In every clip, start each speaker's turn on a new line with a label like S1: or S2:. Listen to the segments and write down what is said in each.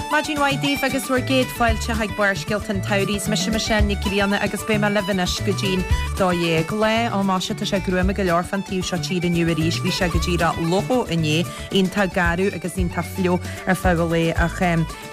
S1: Maidin mhaith daoibh agus bhur gcéad fáilte chuig Barrscéalta an tSamhraidh. Is mise Michelle Nic Grianna agus beidh mé libh anois go dtí'n 12. Lá, ó maise, tá sé gruama go leor fán taobh seo tíre inniu arís. Bhí sé go díreach fliuch inné, iontach garbh agus iontach fliuch ar feadh an lae ach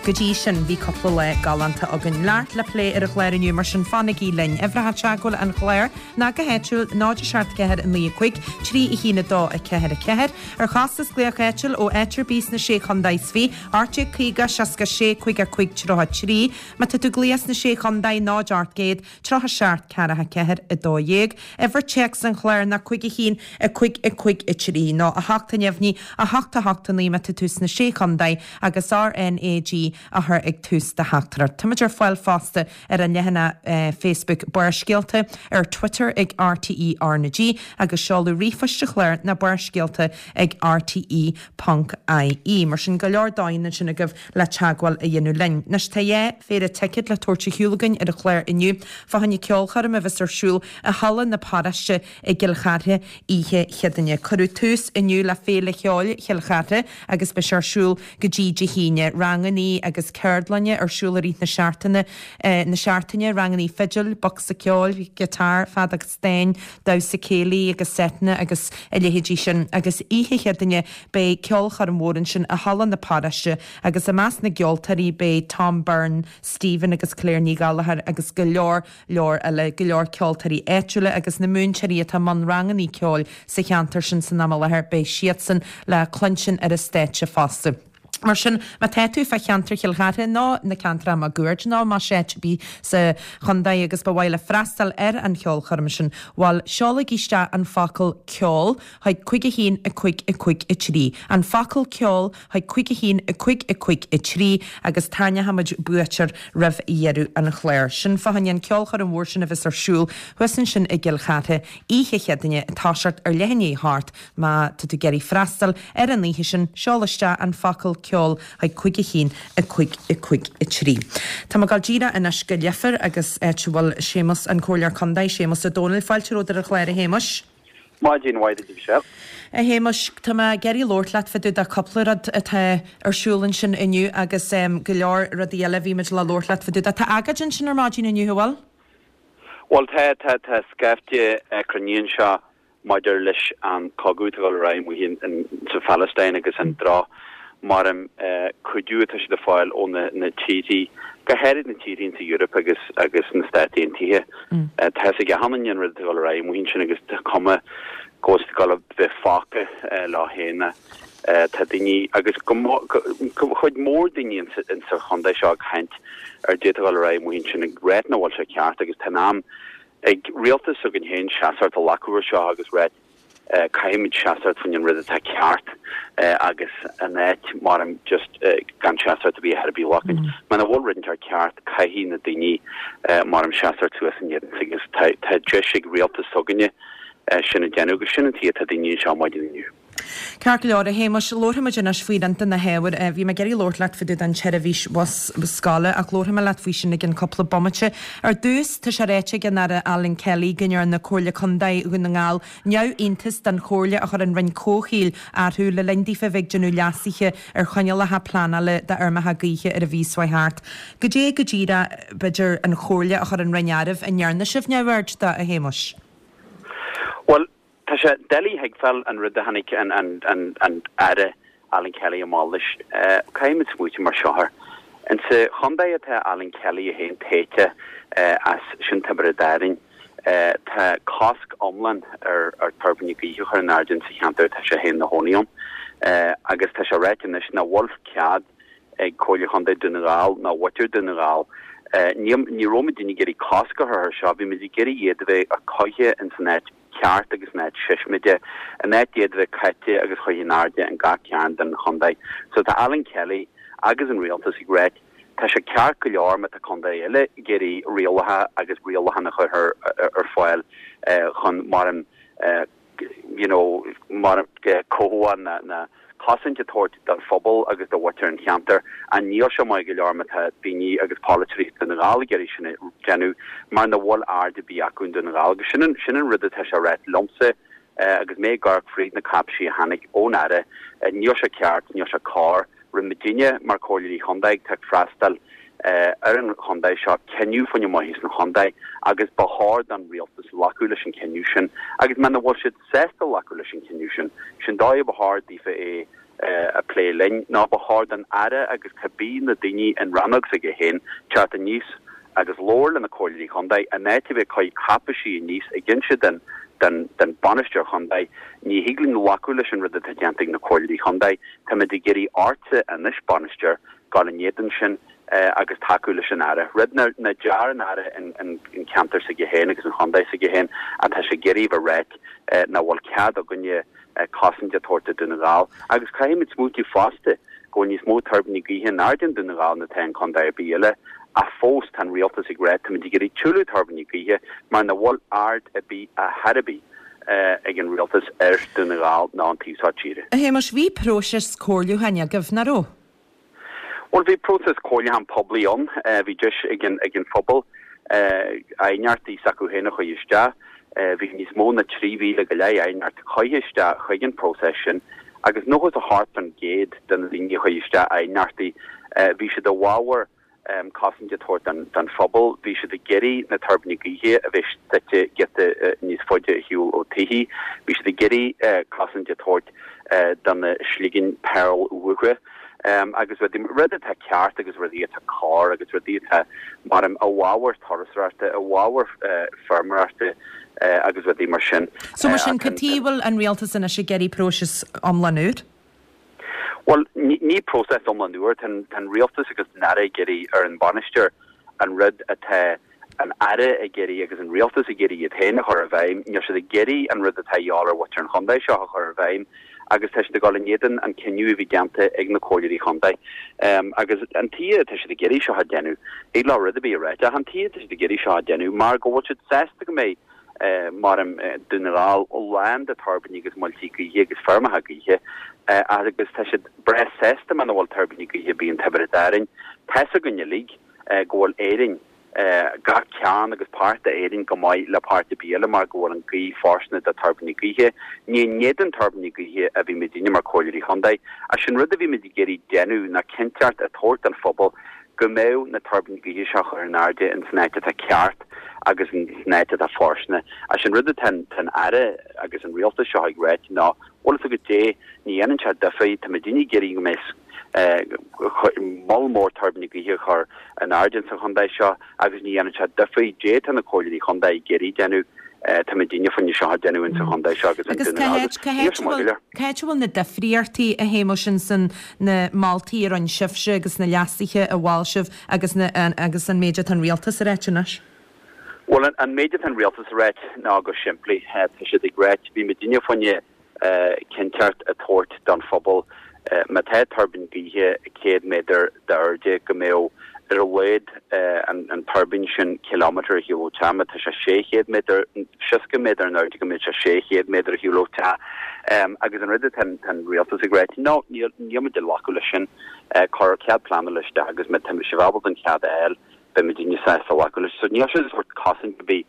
S1: go dtí sin bhí cúpla lá galánta againn. Neart le plé ar an chlár inniu mar sin fanaigí linn. Uimhreacha teagmhála an chláir ná go háitiúil 0 7 4 9 5 3 1 2 4 4. Ar chostas glaoch áitiúil ó áit ar bith sna Sé Chondae is Fiche, 1850 66 55 33. Má tá tú ag glaoch sna Sé Chondae, 0 800 37 44 12. Uimhir téacs an chláir ná 5 1 5 5 3 nó 8 neamhní 8 8 9 má tá tú sna Sé Chondae agus RnaG á chur ag tús do theachtaireacht. Táimid ar fáil fosta ar an leathanach Facebook Barrscéalta, ar Twitter ag RTÉ RnaG agus seoladh ríomhphoist an chláir ná barrscéalta ag rte ponc ie. Mar sin, go leor dóigheanna ansin agaibh le teagmháil a dhéanamh linn. Anois tá dhá phéire ticéad le tabhairt ar shiúl againn ar an chlár inniu fá choinne ceolchoirm a bheas ar siúl i Halla na Paróiste i gCill Chartha oíche Chéadaoine. Cuireadh tús inniu le Féile Cheoil Chill Chartha agus beidh sé ar siúl go dtí Dé hAoine. Rangannaí agus ceardlanna ar siúl i rith na seachtaine na seachtaine, rangannaí fidil, bocsa ceoil, giotár, feadóg stáin, damhsa céilí agus seiteanna agus a leithéidí sin. Agus oíche Chéadaoine beidh ceolchoirm mhór ansin i Halla na Paróiste agus i measc na gceoltóirí beidh Tom Byrne, Stephen agus Claire Ní Ghallchóir agus go leor leor eile, go leor ceoltóirí áitiúla agus na múinteoirí atá i mbun rangannaí ceoil sa cheantar sin san am i láthair, beidh siadsan le cluinstin ar an stáitse fosta. Mar sin, má tá tú fá cheantar Chill Chartha nó na ceantracha máguaird nó más áit ar bith sa chontae agus ba mhaith leat freastal ar an cheolchoirm sin, bhuel, seolaigí isteach an focal 'ceol' chuig 5 1 5 5 3. An focal 'ceol' chuig 5 1 5 5 3 agus tarraingeoidh muid buaiteoir roimh dheireadh an chláir. Sin fá choinne an ceolchoirm mhór sin a bheas ar siúl thuas ansin i gCill Chartha oíche Chéadaoine ag toiseacht ar leath i ndiaidh a hocht. Má tá tú ag iarraidh freastal ar an oíche sin, seol isteach an focal 'ceol' chuig 5 1 5 5 3. Tá mé ag dul díreach anois go Leifear agus áit a bhfuil Séamus, an Comhairleoir Contae, Séamus Ó Domhnaill. Fáilte romhat ar an chlár a Shéamuis.
S2: Maidin mhaith duit a Mhichelle.
S1: A Shéamuis, tá mé ag iarraidh labhairt leat fá dtaobh de cúpla rud atá ar siúl ansin inniu agus go leor rudaí eile a bhí muid le labhairt leat fá dtaobh de. Tá agóid ansin ar maidin inniu, an bhfuil?
S2: Bhuel tá, tá, tá scaifte cruinnithe anseo maidir leis an cogadh atá ag dul ar aghaidh amuigh sa Phalaistín agus an droch mar cuidiú atá siad ag fáil ó na tíorthaí, go háirid na tíorthaí insa Eoraip agus agus na Stáit Aontaithe. Tá fhios ag achan duine an rud atá ag dul ar aghaidh amuigh ansin agus tá cuma go bhfuil siad ag dul a bheith fágtha leo féin. Tá daoine agus go chuid mhór daoine insa chontae seo ag caint ar caidé atá ag dul ar aghaidh amuigh ansin ag ráit nach bhfuil sé ceart agus tá in am ag rialtas s'againn féin seasamh a ghlacadh ar seo agus ráit Caithfimid seasamh faoin an rud atá ceart agus in áit mar just gan seasamh a bith ar bith a ghlacadh. Muna bhfuil rud inteacht ceart caithfidh na daoine mar seasamh suas ina éadan agus tá deis ag rialtas s'againne sin a dhéanamh agus sin an tuige atá daoine anseo maidin inniu.
S1: Ceart go leor, a Shéamuis, labharfaimid anois faoi roinnt de na hábhair. Bhí mé ag iarraidh labhairt leat fá dtaobh den tseirbhís bhus scoile ach labharfaidh mé leat faoi sin i gcionn cúpla bomaite. Ar dtús, tá sé ráite ag an Aire Alan Kelly go ndearna Comhairle Contae Dhún na nGall neamhiontas den chomhairle a chuir an Roinn Comhshaoil orthu le linn daofa a bheith ag déanamh leasuithe ar choinníollacha pleanála d'fheirmeacha gaoithe ar an mhí seo thart. Goidé go díreach, b'fhéidir, an chomhairle a chuir an Roinn oraibh a ndearna sibh neamhaird de, a Shéamuis?
S2: Bhuel, Tá sé doiligh a thuigbheáil an rud a tháinig an Aire Alan Kelly amach leis. Caithfimid smaoitiú mar seo air. Insa chontae atá Alan Kelly é féin tofa as, sin Tiobraid Árainn, tá cosc iomlán ar tuirbíní gaoithe a chur in airde insa cheantar atá sé féin ina chónaí ann. Agus tá sé ráite anois nach bhfuil cead ag Comhairle Chontae Dún na nGall ná mhuintir Dún na nGall. Ní ní raibh muidinne ag iarraidh cosc a chur air seo, bhí muid ag iarraidh iad a bheith curtha ins an áit ceart agus in áit seismide, in áit iad a bheith caite agus curtha in airde in gach cearn den chontae. So tá Alan Kelly agus an rialtas ag ráit tá sé ceart go leor má tá contae eile ag iarraidh rialacha agus rialacháin a chur ar fáil chun mar an you know, mar cothabháil ná cosaint a thabhairt don phobal agus do mhuintir an cheantair. Ach níl sé maith go leor má tá daoine agus polaiteoirí Dhún na nGall ag iarraidh sin a dhéanamh mar nach bhfuil aird ar bith acu in Dún na nGall. Agus sin an, sin an rud atá sé ráit liomsa agus mé ag amharc fríd na cáipéisí a tháinig ón Aire. Níl sé ceart, níl sé cóir. Rinne muidinne mar Chomhairleoirí Chontae atá ag freastal ar an chontae seo cinneadh fá choinne maitheas an chontae agus ba chóir don rialtas glacadh leis an cinneadh sin agus muna bhfuil siad sásta glacadh leis an cinneadh sin, sin dóigh a ba chóir daofa é a plé linn nó ba chóir don Aire agus cibé na daoine in rannóg s'aige féin teacht aníos agus labhair le na Comhairleoirí Chontae in áit a bheith ag cur cáipeisí aníos ag inse den den bainisteoir chontae ní thig linn glacadh leis an rud atá déanta ag na Comhairleoirí Chontae táimid ag iarraidh ortsa anois bainisteoir gabháil in éadan sin agus tacú leis an Aire. Rud nach ndear an Aire an ceantar s'aige féin agus an chontae s'aige féin atá sé ag iarraidh a ráit nach bhfuil cead againne cosaint a tabhairt do Dún na nGall agus caithfimid smaoitiú fosta go bhfuil níos mó tuirbíní gaoithe in airde in Dún na nGall ná atá in contae ar bith eile ach fós tá an rialtas ag ráit táimid ag iarraidh tuilleadh tuirbíní gaoithe mar nach bhfuil aird ar bith ar chor ar bith ag an rialtas ar Dún na nGall ná an taobh seo tíre.
S1: A Shéamais, bhí próiseas comhairliúcháin agaibh, nach raibh?
S2: Bhuel, bhí próiseas comhairliúcháin poiblí ann. Bhí deis ag an ag an phobal aighneachtaí s'acu féin a chur isteach. Bhí níos mó ná 3,000 go leith aighneacht curtha isteach chuig an próiseas sin agus 98% de na daoine a chuir isteach aighneachtaí, bhí siad i bhfabhar cosaint a tabhairt don phobal. Bhí siad ag iarraidh na tuirbíní gaoithe a bheith suite giota níos faide ar shiúl ó tithe. Bhí siad ag iarraidh cosaint a tabhairt do na sliogán pearl uatha agus rudaí, rud atá ceart agus rudaí atá cóir agus rudaí atá mar i bhfabhar turasóireachta, i bhfabhar feirmeoireachta agus rudaí mar sin.
S1: So mar sin, cad tuige a bhfuil an rialtas anois ag iarraidh próiseas iomlán úr?
S2: Bhuel, ní próiseas iomlán úr. Tá an rialtas agus an Aire ag iarraidh ar an bhainisteoir an rud atá an Aire ag iarraidh agus an rialtas ag iarraidh iad féin a chur i bhfeidhm. Níl siad ag iarraidh an rud atá a dhíobháil ar mhuintir an chontae seo a chur i bhfeidhm agus tá siad ag dul in éadan an cinneadh a bhí déanta ag na comhairleoirí chontae. Agus an tuige atá siad ag iarraidh seo a dhéanamh, thig leo rud ar bith a ráit, ach an tuige atá siad ag iarraidh seo a dhéanamh mar go bhfuil siad sásta go mbeidh mar Dún na nGall lán de tuirbíní agus muiltí gaoithe agus feirmeacha gaoithe agus tá siad breá sásta muna bhfuil tuirbíní gaoithe ar bith in Tiobraid Árainn. Tá's againn uilig go bhfuil Éirinn, gach cearn agus páirt d'Éirinn go maith le páirt ar bith eile mar go bhfuil an ghaoth fóirsteanach do tuirbíní gaoithe. Ní in éadan tuirbíní gaoithe a bhí muidinne mar Comhairleoirí Chontae ach sin rud a bhí muid ag iarraidh déanamh ná cinnteacht a tabhairt don phobal go mbeadh na tuirbíní gaoithe seo a chur in airde in san áit atá ceart agus in san áit atá fóirsteanach. Ach sin rud atá an Aire agus an Rialtas seo ag ráit ná, bhfuil fhios agat dé, ní dhéanann sé difear, tá muidinne ag iarraidh go mbeidh moll mór tuirbíní gaoithe a chur in airde in sa chontae seo agus ní dhéanann sé difear dé tá na comhairleoirí chontae ag iarraidh déanamh. Tá muidinne fá choinne seo a déanamh in sa chontae seo agus in
S1: Agus cá háit, cá háit a bhfuil, cá háit a bhfuil na difríochtaí, a Shéamuis, in san na moltaí a rinne sibhse agus na leasuithe a mhol sibh agus na, agus an méid atá an rialtas a ráit anois?
S2: Bhuel, an méid atá an rialtas a ráit ná go simplí, tá siad ag ráit, bhí muidinne fá choinne cinnteacht a tabhairt don phobal má tá tuirbín gaoithe 100 méadar d'airde go mbeadh ar a laghad an tuirbín sin kilometre ar shiúl ó teach, má tá sé 600 méadar, 60 méadar in airde go mbeadh sé 600 méadar ar shiúl ó teach. Agus an rud atá an rialtas ag ráit, no, níl muid ag glacadh leis sin, cuir cead pleanála isteach agus má tá sibh ábalta an cead a fháil, beidh muidinne sásta glacadh leis. So níl siad ag tabhairt cosaint ar bith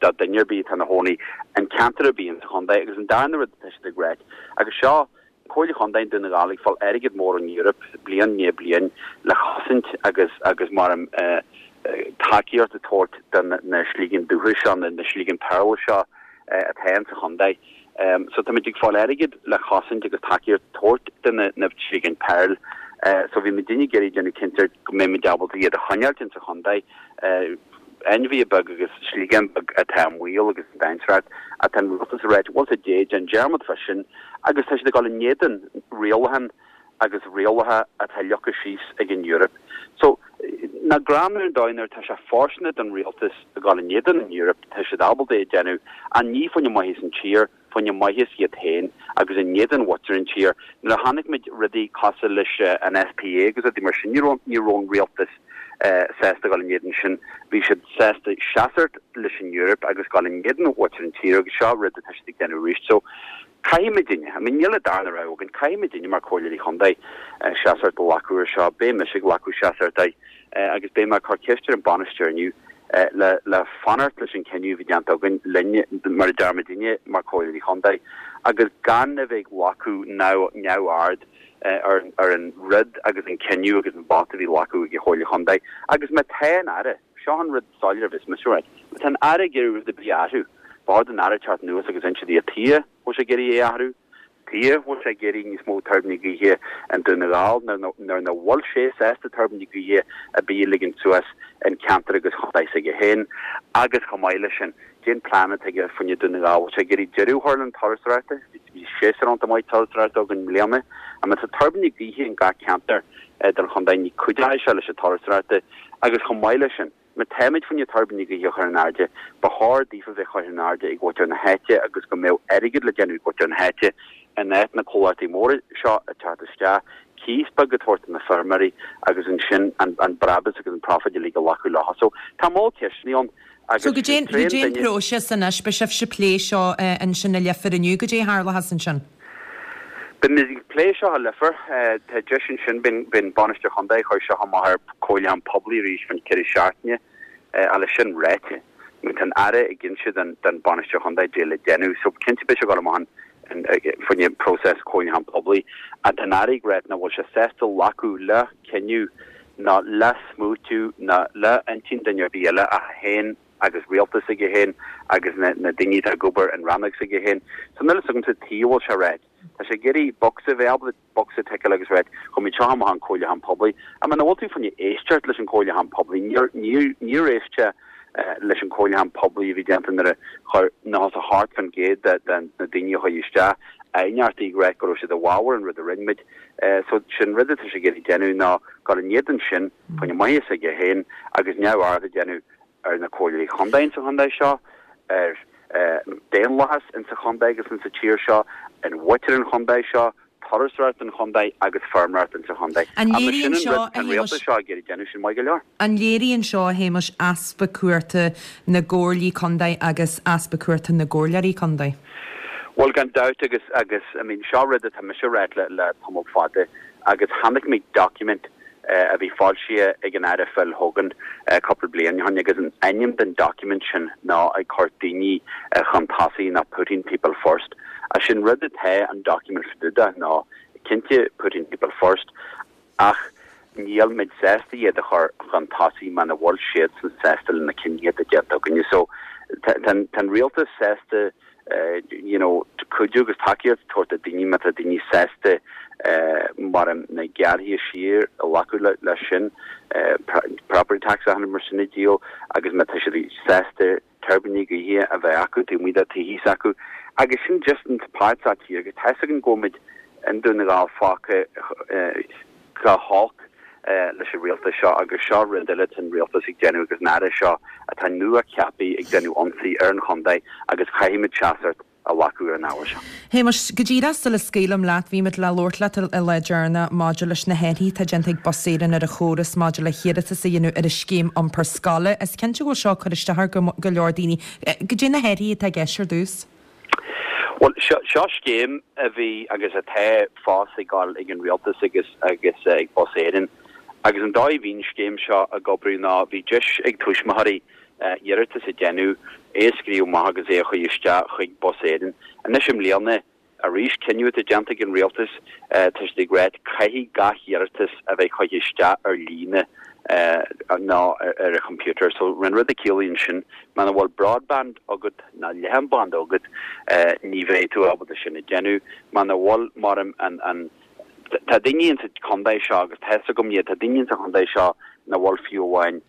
S2: do duine ar bith atá ina chónaí in ceantar ar bith insa chontae. Agus an darna rud atá siad ag ráit, agus seo Comhairle Chontae Dhún na nGall ag fáil airgead mór ón Eoraip bliain i ndiaidh bliain le chosaint agus agus mar tacaíocht a tabhairt do na sliogán dúchais seo, na sliogán pearl seo atá insa chontae. So táimid ag fáil airgead le chosaint agus tacaíocht a tabhairt do na sliogán pearl. So bhí muidinne ag iarraidh déanamh cinnte go mbeidh muid ábalta iad a choinneáilt insa chontae. Ainmhithe beag agus sliogán beag atá i mbaol agus i ndainséar ach tá an rialtas ag ráit bhfuil 's agat dé, déan dearmad fá sin agus tá siad ag dul in éadan rialachán agus rialacha atá leagtha síos ag an Eoraip. So, nach greannmhar an dóigh nuair atá sé fóirsteanach don rialtas a dhul in éadan an Eoraip, tá siad ábalta é a déanamh, ach ní fá choinne maitheas an tír, fá choinne maitheas iad féin agus in éadan mhuintir an tír. Nuair a chonaic muid rudaí cosúil leis an SPA agus rudaí mar sin, ní raibh, ní raibh an rialtas sásta dhul in éadan sin. Bhí siad sásta seasamh leis an Eoraip agus dhul in éadan mhuintir an tír agus seo rud atá siad ag déanamh arís. So, Caithfidh muidinne, I mean níl an darna rogha againn, caithfidh muidinne mar Comhairleoirí Chontae seasamh a ghlacadh ar seo. Beidh mise ag glacadh seasamh air agus beidh mé ag cur ceist ar an bainisteoir inniu le le fanacht leis an cinneadh a bhí déanta againn linne mar a deir muidinne mar Comhairleoirí Chontae agus gan a bheith ag glacadh neamhaird. Ar an rud agus an cinneadh agus an vóta a bhí glacadh ag an Chomhairle Chontae agus má tá an Aire, seo an rud soiléir a bheas mise a ráit, má tá an Aire ag iarraidh rud ar bith a athrú, ba chóir don Aire teacht anuas agus inse di cad chuige a bhfuil sé ag iarraidh é a athrú, tuige a bhfuil sé ag iarraidh níos mó tuirbíní gaoithe i nDún na nGall nuair nach bhfuil sé sásta tuirbíní gaoithe ar bith a ligean suas in ceantar agus chontae s'aige féin agus chomh maith leis sin, Cén plean atá aige fá choinne Dún na nGall? Bhfuil sé ag iarraidh deireadh a chur le an turasóireachta? Bhí séasúr iontach maith turasóireachta againn i mbliana. Ach má tá tuirbíní gaoithe in gach ceantar den chontae ní cuideoidh sé leis an turasóireachta agus chomh maith leis sin, má táimid fá choinne tuirbíní gaoithe a chur in airde, ba chóir daofa bheith curtha in airde ag mhuintir na háite agus go mbeadh airgead le déanamh ag muintir na háite in áit na comhlachtaí móra seo ag teacht isteach, cíos beag a tabhairt do na feirmeoirí agus ansin an brabús agus an profit uilig a ghlacadh leo. So tá moll ceisteanna ann.
S1: Agus So goidé goidé an próiseas anois, beidh sibhse ag plé seo ansin i Leifear inniu, goidé a tharlóchas ansin?
S2: Beimid ag plé seo i Leifear, tá deis ansin, beidh an Bainisteoir Chontae ag cur seo amach ar comhairliúchán poiblí arís fán deireadh seachtaine, ach leis sin ráite, tá an Aire ag inse don Bainisteoir Chontae goidé le déanamh, so cinnte beidh sé ag dul amach an fá choinne próiseas comhairliúchán poiblí, ach tá an Aire ag ráit nach bhfuil sé sásta glacadh le cinneadh ná le smaoitiú ná le intinn duine ar bith eile ach é féin agus rialtas s'aige féin agus na daoine atá ag obair in rannóg s'aige féin. So níl a fhios agamsa tuige a bhfuil sé ráit. Tá sé ag iarraidh bocsa a bheith ábalta bocsa a ticeáil agus ráit chuir muid seo amach an comhairliúchán poiblí. Ach muna bhfuil tú fá choinne éisteacht leis an comhairliúchán poiblí, níor níor éist sé leis an comhairliúchán poiblí a bhí déanta nuair a chuir 98% de na daoine a chuaigh isteach aighneachtaí ag ráit go raibh siad i bhfabhar an rud a rinne muid. So sin rud atá sé ag iarraidh déanamh ná dul in éadan sin fá choinne maitheas s'aige féin agus neamhaird a dhéanamh ar na comhairleoirí chontae insa chontae seo, ar daonlathas insa chontae agus insa tír seo, an mhuintir an chontae seo, turasóireacht an chontae agus feirmeoireacht insa chontae.
S1: An léiríonn seo, a
S2: An rialtas seo ag iarraidh déanamh sin maith go leor.
S1: An léiríonn seo, a Shéamais, easpa cumhachta na gcomhairlí contae agus easpa cumhachta na gcomhairleoirí contae?
S2: Bhuel, gan dabht agus, agus, I mean, seo rud atá mise a ráit le, le tamall fada agus chonaic mé document a bhí foilsithe ag an Aire Phil Hogan cúpla bliain ó shin agus an ainm den document sin ná ag cur daoine chun tosaigh ná putting people first. Agus sin rud atá an document fá dtaobh de ná cinnte putting people first Ach níl muid sásta iad a chur chun tosaigh muna bhfuil siadsan sásta le na cinntí atá déanta againne. So tá an rialtas sásta you know cuidiú agus tacaíocht a thabhairt do daoine má tá daoine sásta mar na gearrthaí siar a ghlacadh leis sin, property tax a mar sin a dhíol agus má tá siad sásta tuirbíní gaoithe a bheith acu taobh amuigh de tithe s'acu agus sin just an páirt sa tír agus tá 'fhios againn go bhfuil muid i nDún na nGall fágtha go holc leis an rialtas seo agus seo rud eile atá an rialtas ag déanamh agus an Aire seo atá nua ceaptha ag déanamh ionsaí ar an chontae agus caithfidh muid seasamh a ghlacadh ar an ábhar seo.
S1: Shéamais, go díreach sula scaoilim leat, bhí muid le labhairt leat an lá deireanach maidir leis na hathruithe atá déanta ag Bus Éireann ar an chóras maidir le hiarratas a dhéanamh ar an scéim iompair scoile. Is cinnte go bhfuil seo ag cur isteach ar go leor daoine. Goidé na hathruithe atá i gceist ar dtús?
S2: Bhuel, seo scéim a bhí agus atá fós ag dul ag an Rialtas agus agus ag Bus Éireann. Agus an dóigh a bhí an scéim seo ag oibriú ná bhí deis ag tuismitheoirí iarratas a dhéanamh, é a scríobh amach agus é a chur isteach chuig Bus Éireann. Anois i mbliana, arís, cinneadh atá déanta ag an Rialtas, tá siad ag ráit caithfidh gach iarratas a bheith curtha isteach ar líne nó ar an chomputer. So an rud a ciallaíonn sin, muna bhfuil broadband agat ná leathanbhanda agat, ní bheidh tú ábalta sin a dhéanamh. Muna bhfuil, mar an, Tá daoine insa chontae seo, agus tá fhios agam iad, tá daoine insa chontae seo nach bhfuil fiú amháin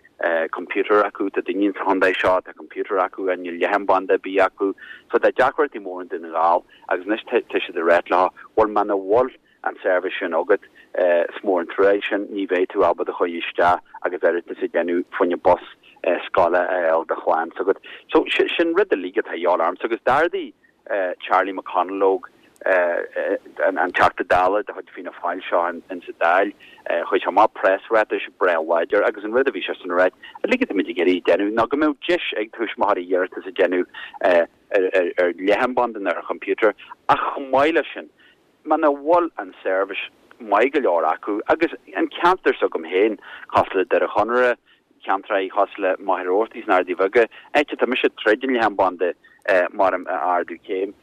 S2: computer acu, tá daoine insa chontae seo tá computer acu ach níl leathanbhanda ar bith acu. So tá deacrachtaí mór i nDún na nGall agus anois tá siad ag ráit leo, bhuel muna bhfuil an seirbhís sin agat, is mór an trua é sin, ní bheidh tú ábalta a chur isteach agus iarratas a dhéanamh fá choinne bus scoile a fháil do chlann s'agat. So sin rud uilig atá a dhíobháil ormsa agus d'ardaigh Charlie McConalogue, an Teachta Dála de chuid Fianna Fáil seo in sa Dáil, chuir sé amach preasráiteas breá láidir agus an rud a bhí seisean a ráit, uilig atáimid ag iarraidh déanamh ná go mbeadh deis ag tuismitheoirí iarratas a dhéanamh ar leathanbhanda nó ar chomputer ach chomh maith leis sin, muna bhfuil an seirbhís maith go leor acu agus an ceantar s'agam féin, cosúil le Doire Chonaire, ceantraí cosúil le Machaire Rabhartaigh is na hArdaí Bheaga, áit atá mise troid an leathanbhanda mar a ardú céim.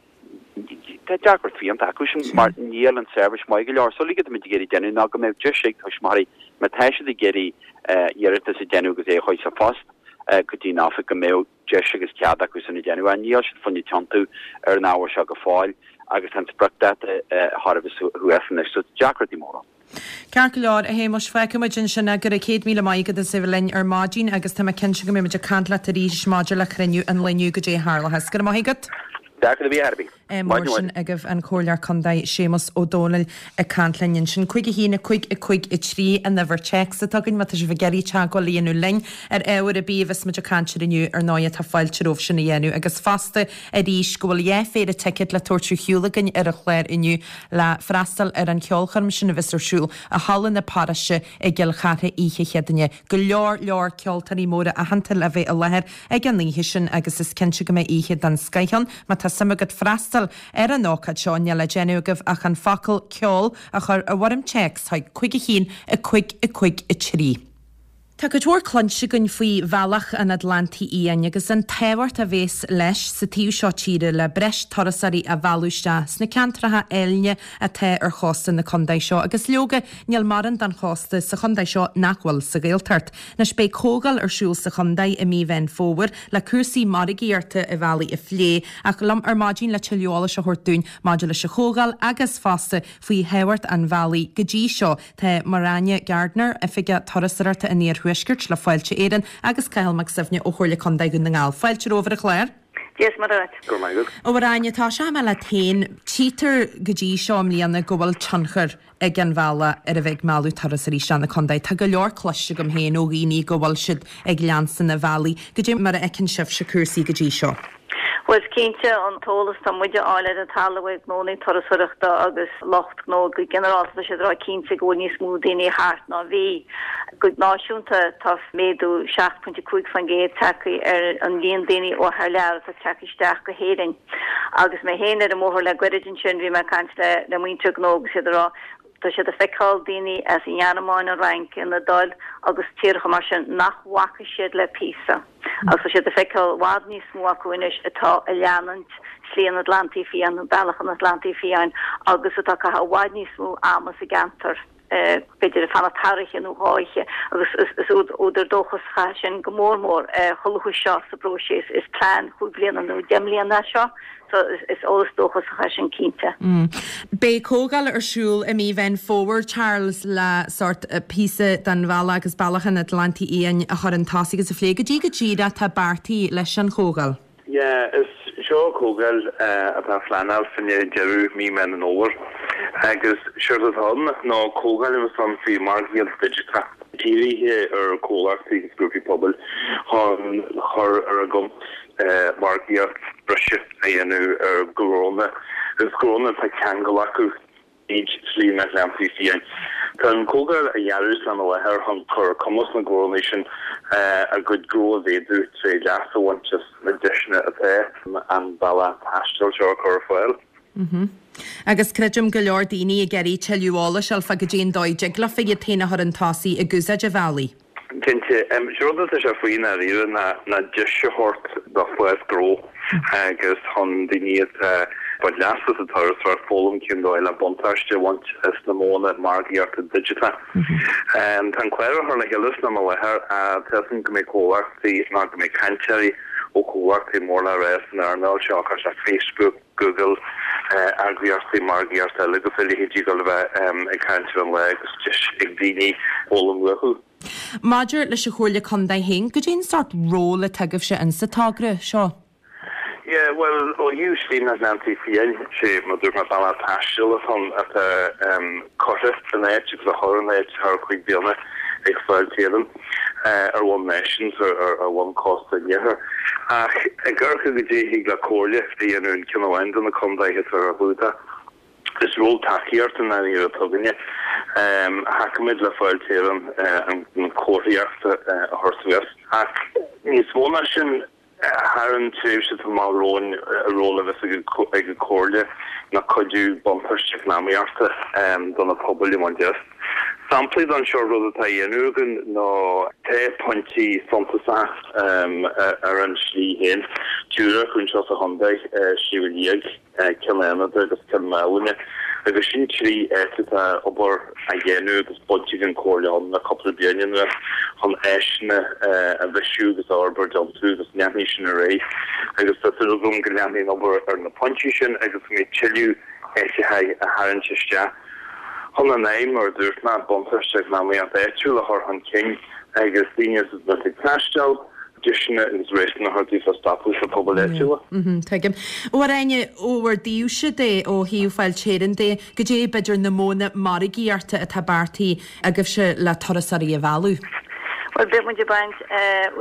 S2: Tá deacracht fiánta acu sin mar níl an seirbhís maith go leor. So uilig atáimid ag iarraidh déanamh ná go mbeadh deis ag tuismitheoirí má tá siad ag iarraidh iarratas a déanamh agus é a chur sa phost go dtí an oifig go mbeadh deis agus cead acu sin a déanamh. Ach níl siad fá choinne tiontú ar an ábhar seo go fóill agus tá an spriocdáta thar a bheith thuas anois so deacrachtaí móra ann.
S1: Ceart go leor, a Shéamuis, fágfaidh muid ansin é. Go raibh 100,000 maith agat as a bheith linn ar maidin agus tá mé cinnte go mbeidh muid ag caint leat arís maidir le cruinniú an lae inniu goidé a tharlóchas. Go raibh maith agat.
S2: Deacracht ar bith ar bith.
S1: Mar sin agaibh an Comhairleoir Contae Séamus Ó Domhnaill ag caint linn ansin. 5 1 5 5 3 an uimhir téacs atá againn má tá sibh ag iarraidh teagmháil a dhéanamh linn ar ábhar ar bith a bheas muid ag caint air inniu ar ndóigh tá fáilte romhaibh sin a dhéanamh agus fosta arís go bhfuil dhá phéire ticéad le tabhairt ar shiúl againn ar an chlár inniu le freastal ar an cheolchoirm sin a bheas ar siúl i Halla na Paróiste i gCill Chartha oíche Chéadaoine. Go leor leor ceoltóirí móra aitheanta le bheith i láthair ag an oíche sin agus is cinnte go mbeidh oíche den scoith ann. Má tá suim agat freastal ar an ócáid seo níl le déanamh agaibh ach an focal 'ceol' a chur i bhfoirm téacs chuig 5 1 5 5 3. Tá cuid mhór cluinte againn faoi Bhealach an Atlantaigh Fhiáin agus an tábhacht a bhéas leis sa taobh seo tíre le breis turasóirí a mhealladh isteach sna ceantracha áilne atá ar chósta na contae seo agus leoga níl morán den chósta sa chontae seo nach bhfuil sa Ghaeltacht. Anois beidh comhdháil ar siúl sa chontae i mí Mheán Fómhair le cúrsaí margaíochta an bhealaigh a phlé ach liom ar maidin le tuilleadh eolais a thabhairt dúinn maidir leis an chomhdháil agus fosta faoi thábhacht an bhealaigh go dtí seo Tá Muireann Gardiner, Oifigeach Turasóireachta an Iarthuaiscirt le Fáilte Éireann agus Cathal Mac Suibhne ó Chomhairle Contae Dhún na nGall. Fáilte romhaibh ar an chlár.
S3: Dia is Muire dhuit.
S4: Go raibh maith agat.
S1: A Mhuireann, tosóidh mé leat féin. Tchítear go dtí seo i mbliana go bhfuil tionchar ag an bhealach ar a bheith ag mealladh turasóirí isteach na contae. Tá go leor cloiste agam féin ó dhaoine go bhfuil siad ag leanstan an bhealaigh. Goidé mar a fheiceann sibhse cúrsaí go dtí seo?
S3: Bhuel, is cinnte, an t-eolas atá muid a fháil ar an talamh ag gnónnaí turasóireachta agus lucht gnó go ginearálta, tá siad ag rá cinnte go bhfuil níos mó daoine thart ná bhí. Go náisiúnta, tá méadú 7.5% tagtha ar an líon daoine ó thar lear atá tagtha isteach go hÉirinn. Agus mé féin ar an mbóthar le goirid ansin, bhí mé ag caint le muintir gnó agus iad ag rá Tá siad ag feiceáil daoine as an nGearmáin, an Fhrainc, an Iodáil agus tíortha mar sin nach bhfaca siad le píosa. Agus tá siad ag feiceáil i bhfad níos mó acu anois atá ag leanúint Slí an Atlantaigh Fiáin nó Bealach an Atlantaigh Fiáin agus atá ag caitheamh i bhfad níos mó ama sa gceantar, b'fhéidir ag fanacht thar oíche nó dhá oíche agus is údar dóchasach é sin go mór mór chomh luath seo sa bpróiseas. Is plean chúig bliana nó deich mbliana é seo. So is eolas dóchasach é
S1: sin cinnte. Beidh comhdháil ar siúl i mí Mheán Fómhair, Charles, le sórt píosa den bhealach agus bealach an Atlantaigh Fhiáin a chur chun tosaigh agus a phlé. Goidé go díreach atá beartaithe leis an chomhdháil?
S4: Yeah, is seo comhdháil atá á phleanáil fá choinne deireadh mí Meán an Fhómhair agus séard atá ann ná comhdháil a bheas ann faoi mhargaíocht digiteach, dírithe ar chomhlachtaí agus grúpaí pobail chun chur ar a gcumas margaíocht breise a dhéanamh ar ghnónna agus gnónna atá ceangal acu tríd Slí an Atlantaigh Fiáin. Tá an chomhdháil á dhearadh san i láthair chun cur ar cumas na ngnónna sin a gcuid gnó a mhéadú tré leas a bhaint as na deiseanna atá an bealach taistil seo a chur ar fáil.
S1: Agus creidim go leor daoine ag iarraidh tuilleadh eolais a fháil fá goidé an dóigh a dtig leofa iad féin a chur chun tosaigh ag úsáid an bhealaigh.
S4: Cinnte. Sé rud atá sé faoi i ndáiríre ná ná deis a thabhairt do fás gnó agus chun daoine atá ag baint leas as an turasóireacht foghlaim cén dóigh le buntáiste a bhaint as na modhanna margaíochta digiteacha. Tá an clár á chur le chéile san am i láthair tá a fhios agam go mbeidh comhlachtaí nó go mbeidh cainteoirí ó chomhlachtaí mór le rá san earnáil seo, cosúil le Facebook, Google, eagraíochtaí margaíochta eile agus a leithéidí ag dul a bheith ag caint ar an lá agus deis ag daoine foghlaim uathu.
S1: Maidir leis an Chomhairle Contae féin, goidé an sórt ról atá agaibhse in sa togra seo?
S4: Yeah, bhuel, ó thaobh Slí na Atlantaigh Fiáin, sé mar dúirt mé bealach taistil atá ann atá curtha in áit agus á chur in áit thar chúig bliana ag Fáilte Éireann. ar bhonn náisiúnta, ar bhonn cósta an iarthair. Ach ag amharc ar goidé a thig le comhairle a dhéanamh in ceann amháin de na contaetha atá ar a chlúdach. Is ról tacaíochta i ndáiríre atá againne. Thacaímid le Fáilte Éireann an chomharthaíocht a chur suas. Ach níos mó ná sin, Thar an tréimhse atá amach romhainn, an ról a bheas ag an Chomhairle ná cuidiú buntáiste eacnamaíochta do na pobail a bhaint as. Samplaí den sórt rud atá á dhéanamh againn ná tá pointí suntasach ar an slí féin, triúr acu anseo sa chontae, Sliabh Liag, Cill Fhánada agus Cill Mhálanna, agus sin trí áit atá obair á dhéanamh agus baint ag an Chomhairle ann le cúpla bliain anuas chun áiseanna a bhreisiú agus a fhorbairt iontu agus leanfaidh sin ar aghaidh agus tá súil agam go leanfaidh an obair ar na pointí sin agus go mbeidh tuilleadh áiteacha a tharraingt isteach chun an aidhm, mar a dúirt mé, buntáiste eacnamaíocht áitiúil a chur chun cinn agus daoine a bheith ag taisteal, deiseanna agus réasúna a thabhairt daofa stopadh sna pobail áitiúla.
S1: Tuigim. Ó a Áine, ó bhur dtaobhse de, ó thaobh Fáilte Éireann de, goidé b'fhéidir na modhanna margaíochta atá beartaithe agaibhse le turasóirí a mhealladh?
S3: Bhuel, beidh muid ag baint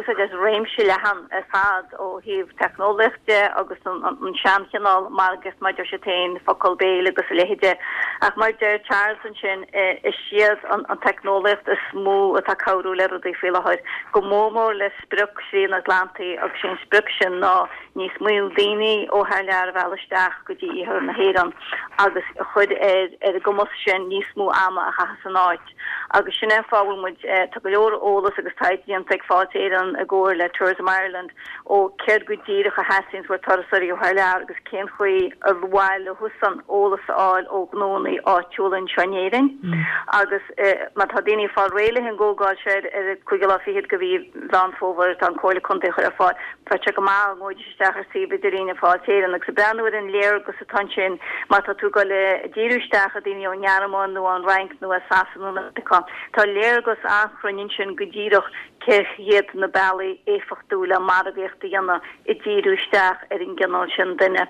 S3: úsáid as réimse leathan ar fad ó thaobh teicneolaíocht de agus an seanchineál margaíocht mar a deir siad féin, focal béil agus a leithéid de. Ach mar a deir Charles ansin, is iad an teicneolaíocht is mó atá ag cabhrú le rudaí faoi láthair, go mór mór le sprioc Shlí an Atlantaigh agus sé an sprioc sin ná níos mó daoine ó thar lear a mhealladh isteach go dtí iarthar na hÉireann agus a chur ar a gcumas sin níos mó ama a chaitheamh san áit. Agus sin é an fáth a bhfuil muid, tá go leor eolas agus taighde déanta ag Fáilte Éireann i gcomhar le Tourism Ireland ó céard go díreach a theastaíonns ó turasóirí ó thar lear agus cén chaoi ar mhaith leosan eolas a fháil ó ghnónna áitiúla anseo in Éirinn. Agus má tá daoine ag fáil réidh leis an gcomhdháil seo ar an cúigiú lá fichead de mhí Mheán Fómhair atá an Comhairle Contae a chur ar fáil, bheadh sé go maith dá ngabhfaidís isteach ar suíomh idirlín Fáilte Éireann agus ag breathnú ar an léargas atá ansin má tá tú ag dul ag díriú isteach ar daoine ón nGearmáin nó ón Fhrainc nó as Sasana nó Meiriceá. Tá léargas an-chruinn ansin go díreach cé hiad na bealaí éifeachtúla margaíocht a dhéanamh ag díriú isteach ar an gcineál sin duine.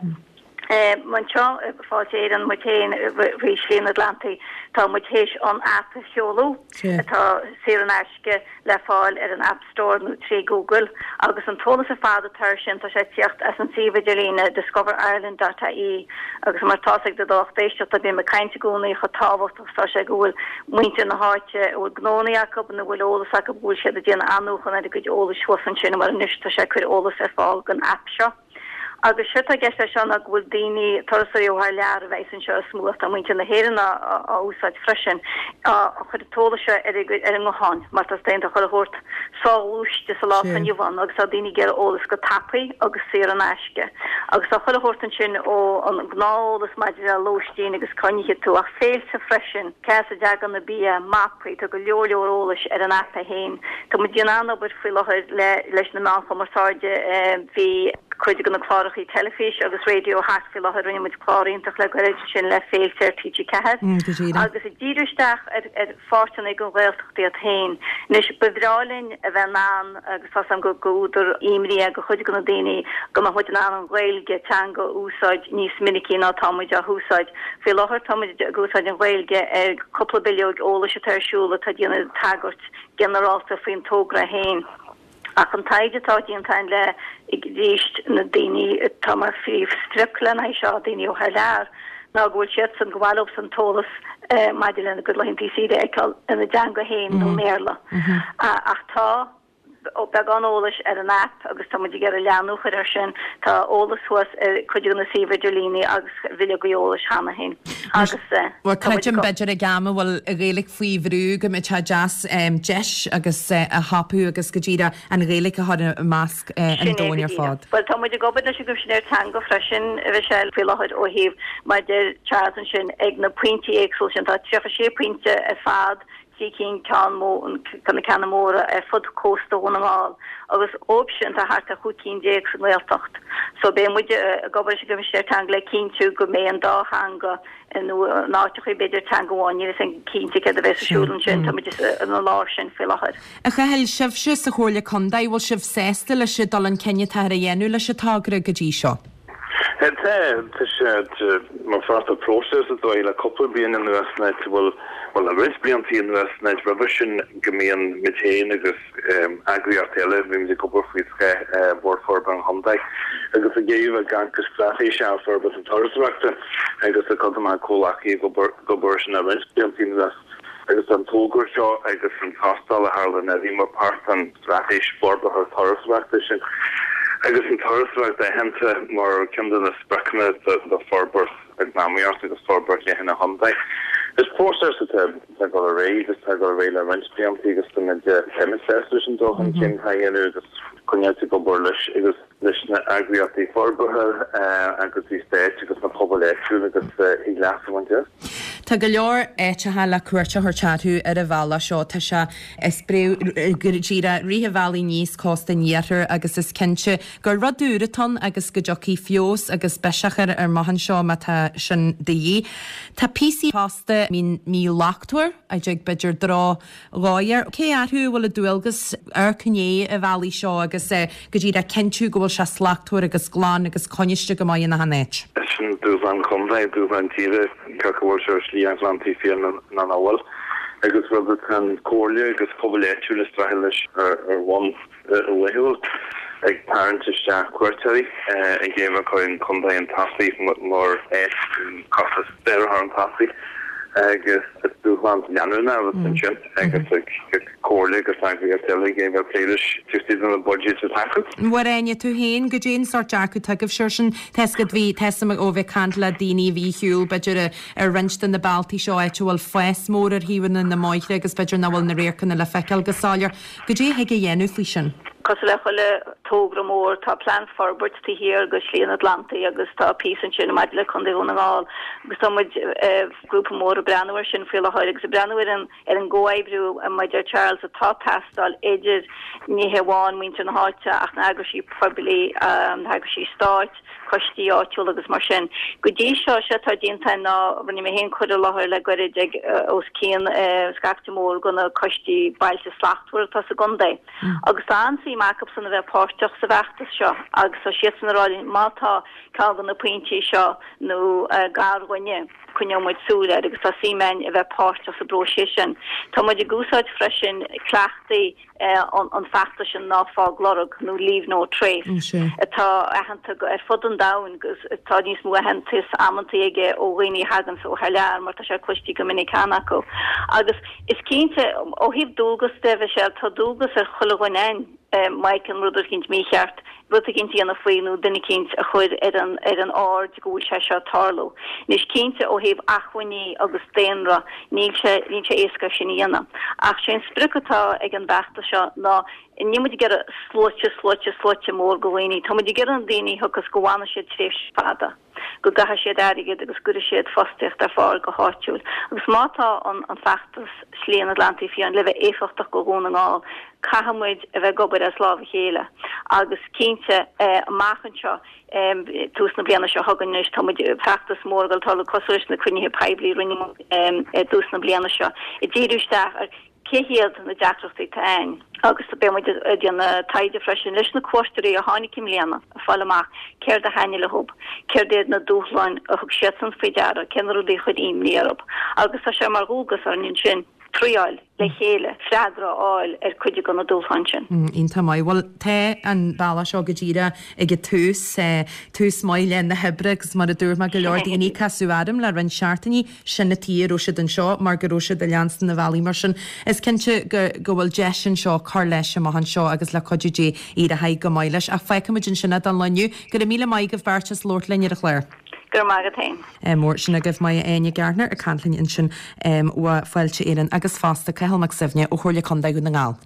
S3: Anseo i Fáilte Éireann muid féin faoi Shlí an Atlantaigh tá muid théis an aip a sheoladh atá saor in aisce le fáil ar an App Store nó trí Google agus an t-eolas ar fad atá air sin tá sé ag tíocht as an suíomh idirlíne discoverireland dot ie agus mar tá's ag do lucht éisteachta bím ag caint i gcónaí chomh tábhachtach is atá sé go bhfuil muintir na háite a bhfuil gnónnaí acu nó a bhfuil eolas acu go bhfuil siad ag déanamh athnuachan ar a gcuid eolais thuas ansin mar anois tá sé ag cur eolas ar fáil don aip seo. Agus séard atá i gceist leis seo ná go bhfuil daoine, turasóirí ó thar lear a bheas anseo is mó ach tá muintir na hÉireann á úsáid freisin, á chur an t-eolas seo ar a ngutháin mar tá tá chuile shórt soghluaiste sa lá atá inniu ann agus tá daoine ag iarraidh eolas go tapaidh agus saor in aisce. Agus tá chuile shórt ansin ó an gnáth-eolas maidir le lóistín agus cá n-ithfidh tú ach féilte freisin, cá as a dtagann an bia, mapaí, tá go leor leor eolais ar an aip é féin. Tá muid ag déanamh an-obair faoi láthair le leis na meáin chumarsáide. Bhí cuid de na clárachaí teilifíse agus raidió thart faoi láthair, rinne muid clár iontach le gairid ansin le Féilte ar TG4 agus ag díriú isteach ar ar pháirteanna den Ghaeltacht iad féin. Anois, ba bhreá linn a bheith in ann, agus tá's agam gur údar imní é do chuid de na daoine, go mbeadh muid in ann an Ghaeilge, teanga, a úsáid níos minicí ná tá muid á húsáid. Faoi láthair tá muid ag úsáid an Ghaeilge ar cúpla bileoig eolais atá ar siúl atá ag déanamh tagairt ginearálta faoin togra féin. Ach an taighde atá déanta againn le arís na daoine atá mar phríomhsprioc lena haghaidh seo, daoine ó thar lear, ná go bhfuil siadsan, gur mhaith leosan an t-eolas maidir lena gcuid laethanta saoire a fheiceáil ina dteanga féin nó i mBéarla. Ach tá beagán eolais ar an aip agus tá muid ag iarraidh leathnú a chur air sin. Tá eolas thuas ar cuid de na suímh idirlíní agus bhileogaí eolais cheana féin. Agus
S1: Bhuel, creidim, b'fhéidir ag am a bhfuil an Ghaeilge faoi bhrú go mbeadh sé deas deis agus a thapú agus go díreach an Ghaeilge a chur i measc an
S3: Sin é go
S1: domhain ar
S3: díreach.
S1: fad.
S3: Bhuel, tá muid ag obair leis an gCoimisinéir Teanga freisin, a Mhichelle, faoi láthair ó thaobh, mar a deir Charles ansin, ag na pointí éagsúla sin, tá 36 pointe ar fad, trí cinn ceann mó, na ceanna móra ar fud cósta Dhún na nGall agus dhóibh sin tá thart ar 15 cinn sa nGaeltacht. So beidh muid ag obair leis an gCoimisinéir Teanga le cinntiú go mbeidh an dá theanga nó in áiteachaí b'fhéidir teanga amháin, níl a fhios againn cinnte céard a bheas ar siúl ansin, tá muid ina lár sin faoi láthair.
S1: A Chathail, sibhse sa Chomhairle Contae, bhfuil sibh sásta leis an dul chun cinn atáthar a dhéanamh leis an togra go dtí seo?
S4: Tá, tá sé mar pháirt de próiseas atá le cúpla bliain anuas nó bhuel, bhuel le roinnt blianta anuas nó roimhe sin go mbíonn muid féin agus eagraíocht eile, bímid ag obair faoi scáth Bhord Forbartha an Chontae agus ag iarraidh bheith ag amharc go straitéiseach ar forbairt na turasóireachta agus tá cuid de mo chomhleacaithe ag obair ag obair sin le roinnt blianta anuas agus an togra seo agus an tástáil a tharla anuraidh mar páirt den straitéis forbartha turasóireachta sin agus an turasóireacht aitheanta mar ceann de na spriocanna do forbairt eacnamaíocht agus forbairt leathan an chontae. Is próiseas atá ag dul ar aghaidh agus tá ag dul ar aghaidh le roinnt blianta agus tá muid an-sásta leis an dul chun cinn atá á dhéanamh agus coinneáilt ag obair leis agus leis na eagraíochtaí forbartha agus an stáit agus na pobail áitiúil agus thig leas a bhaint as.
S1: Tá go leor áiteacha le cuairt a thabhairt orthu ar an bhealach seo. Tá sé, is breá go díreach rith an bhealaigh aníos cósta an iarthair agus is cinnte gur rud úr atá ann agus go dtiocfaidh feabhas agus biseach air amach anseo má tá sin de dhíth. Tá píosaí fosta a bhíonn míshlachtmhar, a dtig b'fhéidir droch dhóigh air. Cé orthu a bhfuil an dualgas amharc i ndiaidh an bhealaigh seo agus go díreach cinntiú go bhfuil sé slachtmhar agus glan agus coinniste go maith in achan áit?
S4: Sin dúshlán contae, dúshlán tíre, cé acu bhfuil sé ar Shlí an Atlantaigh Fiáin nó nach bhfuil, agus rud atá an Comhairle agus pobail áitiúil ag streachailt leis ar bhonn laethúil, ag tarraingt isteach cuairteoirí, ag iarraidh cur an contae chun tosaigh mar áit costas saor a chur chun tosaigh agus is dúshlán leanúnach a bheas ansin agus ag comhairle agus eagraíocht eile ag iarraidh plé leis taobh istigh de na buiséid atá acu.
S1: Mháire Áine, tú féin, goidé an sórt dearcadh atá agaibhse air sin? Tá 'fhios agat, bhí, tá 'fhios a'm ó bheith ag caint le daoine a bhí ar shiúl, b'fhéidir, ar roinnt de na bealtaí seo, áit a bhfuil fás mór ar thaobhanna na mbóithre agus b'fhéidir nach bhfuil na radharcanna le feiceáil go soiléir. Goidé a thig a dhéanamh faoi sin?
S3: Cosúil le chuile togra mór, tá plean forbairt taobh thiar de Shlí an Atlantaigh agus tá píosa ansin maidir le Contae Dhún na nGall agus tá muid, grúpa mór, ag breathnú air sin faoi láthair agus ag breathnú ar an ar an gcomhoibriú, mar a deir Charles, atá ag teastáil idir ní hé amháin muintir na háite ach na heagraisí poiblí, na heagraisí stáit. coistí áitiúla agus mar sin. Go dtí seo, sé atá déanta ná rinne mé féin cur i láthair le goirid ag os cionn scaifte mór de na coistí Bailte Slachtmhara atá sa gcontae. Agus tá an-suim acusan a bheith páirteach sa bhfeachtas seo agus tá siadsan ag rá linn má tá ceann de na pointí seo nó gar dhuine, coinneoidh muid súil air agus tá suim againn a bheith páirteach sa bpróiseas sin. Tá muid ag úsáid freisin cleachtaí an feachtas sin Ná Fág Lorg nó Leave No Trace atá aitheanta ar fud an domhain agus tá níos mó aitheantais amantaí aige ó dhaoine a thaganns ó thar lear mar tá sé cloiste go minic cheana acu. Agus is cinnte, ó thaobh dualgas de, Michelle, tá dualgas ar chuile dhuine againn má fheiceann rud eicínt mícheart, rud eicínt a dhéanamh faoi nó duine eicínt a chur ar an ar an aird go bhfuil sé seo ag tarlú. Anois cinnte ó thaobh acmhainní agus daonra níl sé níl sé éasca sin a dhéanamh. Ach sé an sprioc atá ag an bhfeachtas seo ná níl muid ag iarraidh sluaite sluaite sluaite mór de dhaoine. Tá muid ag iarraidh na daoine a thiocfas go bhfanfaidh siad tréimhse fada. go gcaithfidh siad airgead agus go gcuirfidh siad fostaíocht ar fáil go háitiúil. Agus má tá an an feachtas Slí an Atlantaigh Fiáin le bheith éifeachtach go Dhún na nGall, caithfidh muid a bheith ag obair as lámh a chéile. Agus cinnte, amach anseo, tús na bliana seo chugainn anois, tá muid, feachtas mór ag dul tarlú cosúil leis na cruinnithe poiblí a rinne muid i dtús na bliana seo, ag díriú isteach ar cé hiad na deacrachtaí atá ann. Agus beidh muid ag déanamh taighde freisin leis na cuairteoirí a tháinig i mbliana, ag fáil amach céard a thaitnigh leo, céard iad na dúshláin a thug siadsan faoi deara, cé na rudaí a chuir imní orthu. Agus tá sé mar dhualgas orainn ansin triáil le chéile freagra a fháil ar cuid de na dúshláin sin.
S1: Iontach maith. Bhuel, tá an bealach seo go díreach ag an tús, tús maith le na hoibre agus mar a dúirt mé go leor daoine ag casadh orm le roinnt seachtainí, sin an tuige a raibh siad anseo mar go raibh siad ag leanstan na bhealaí mar sin. Is cinnte go go bhfuil deis anseo cur leis amach anseo agus le cuidiú Dé éireoidh go maith leis. Ach fágfaimid ansin é don lá inniu. Go raibh míle maith agaibh beirt as labhairt linn ar an chlár.
S3: Go raibh maith agat féin.
S1: Mór sin agaibh Máire Áine Gardiner ag caint linn ansin ó Fáilte Éireann agus fosta Cathal Mac Suibhne ó Chomhairle Contae Dhún na nGall.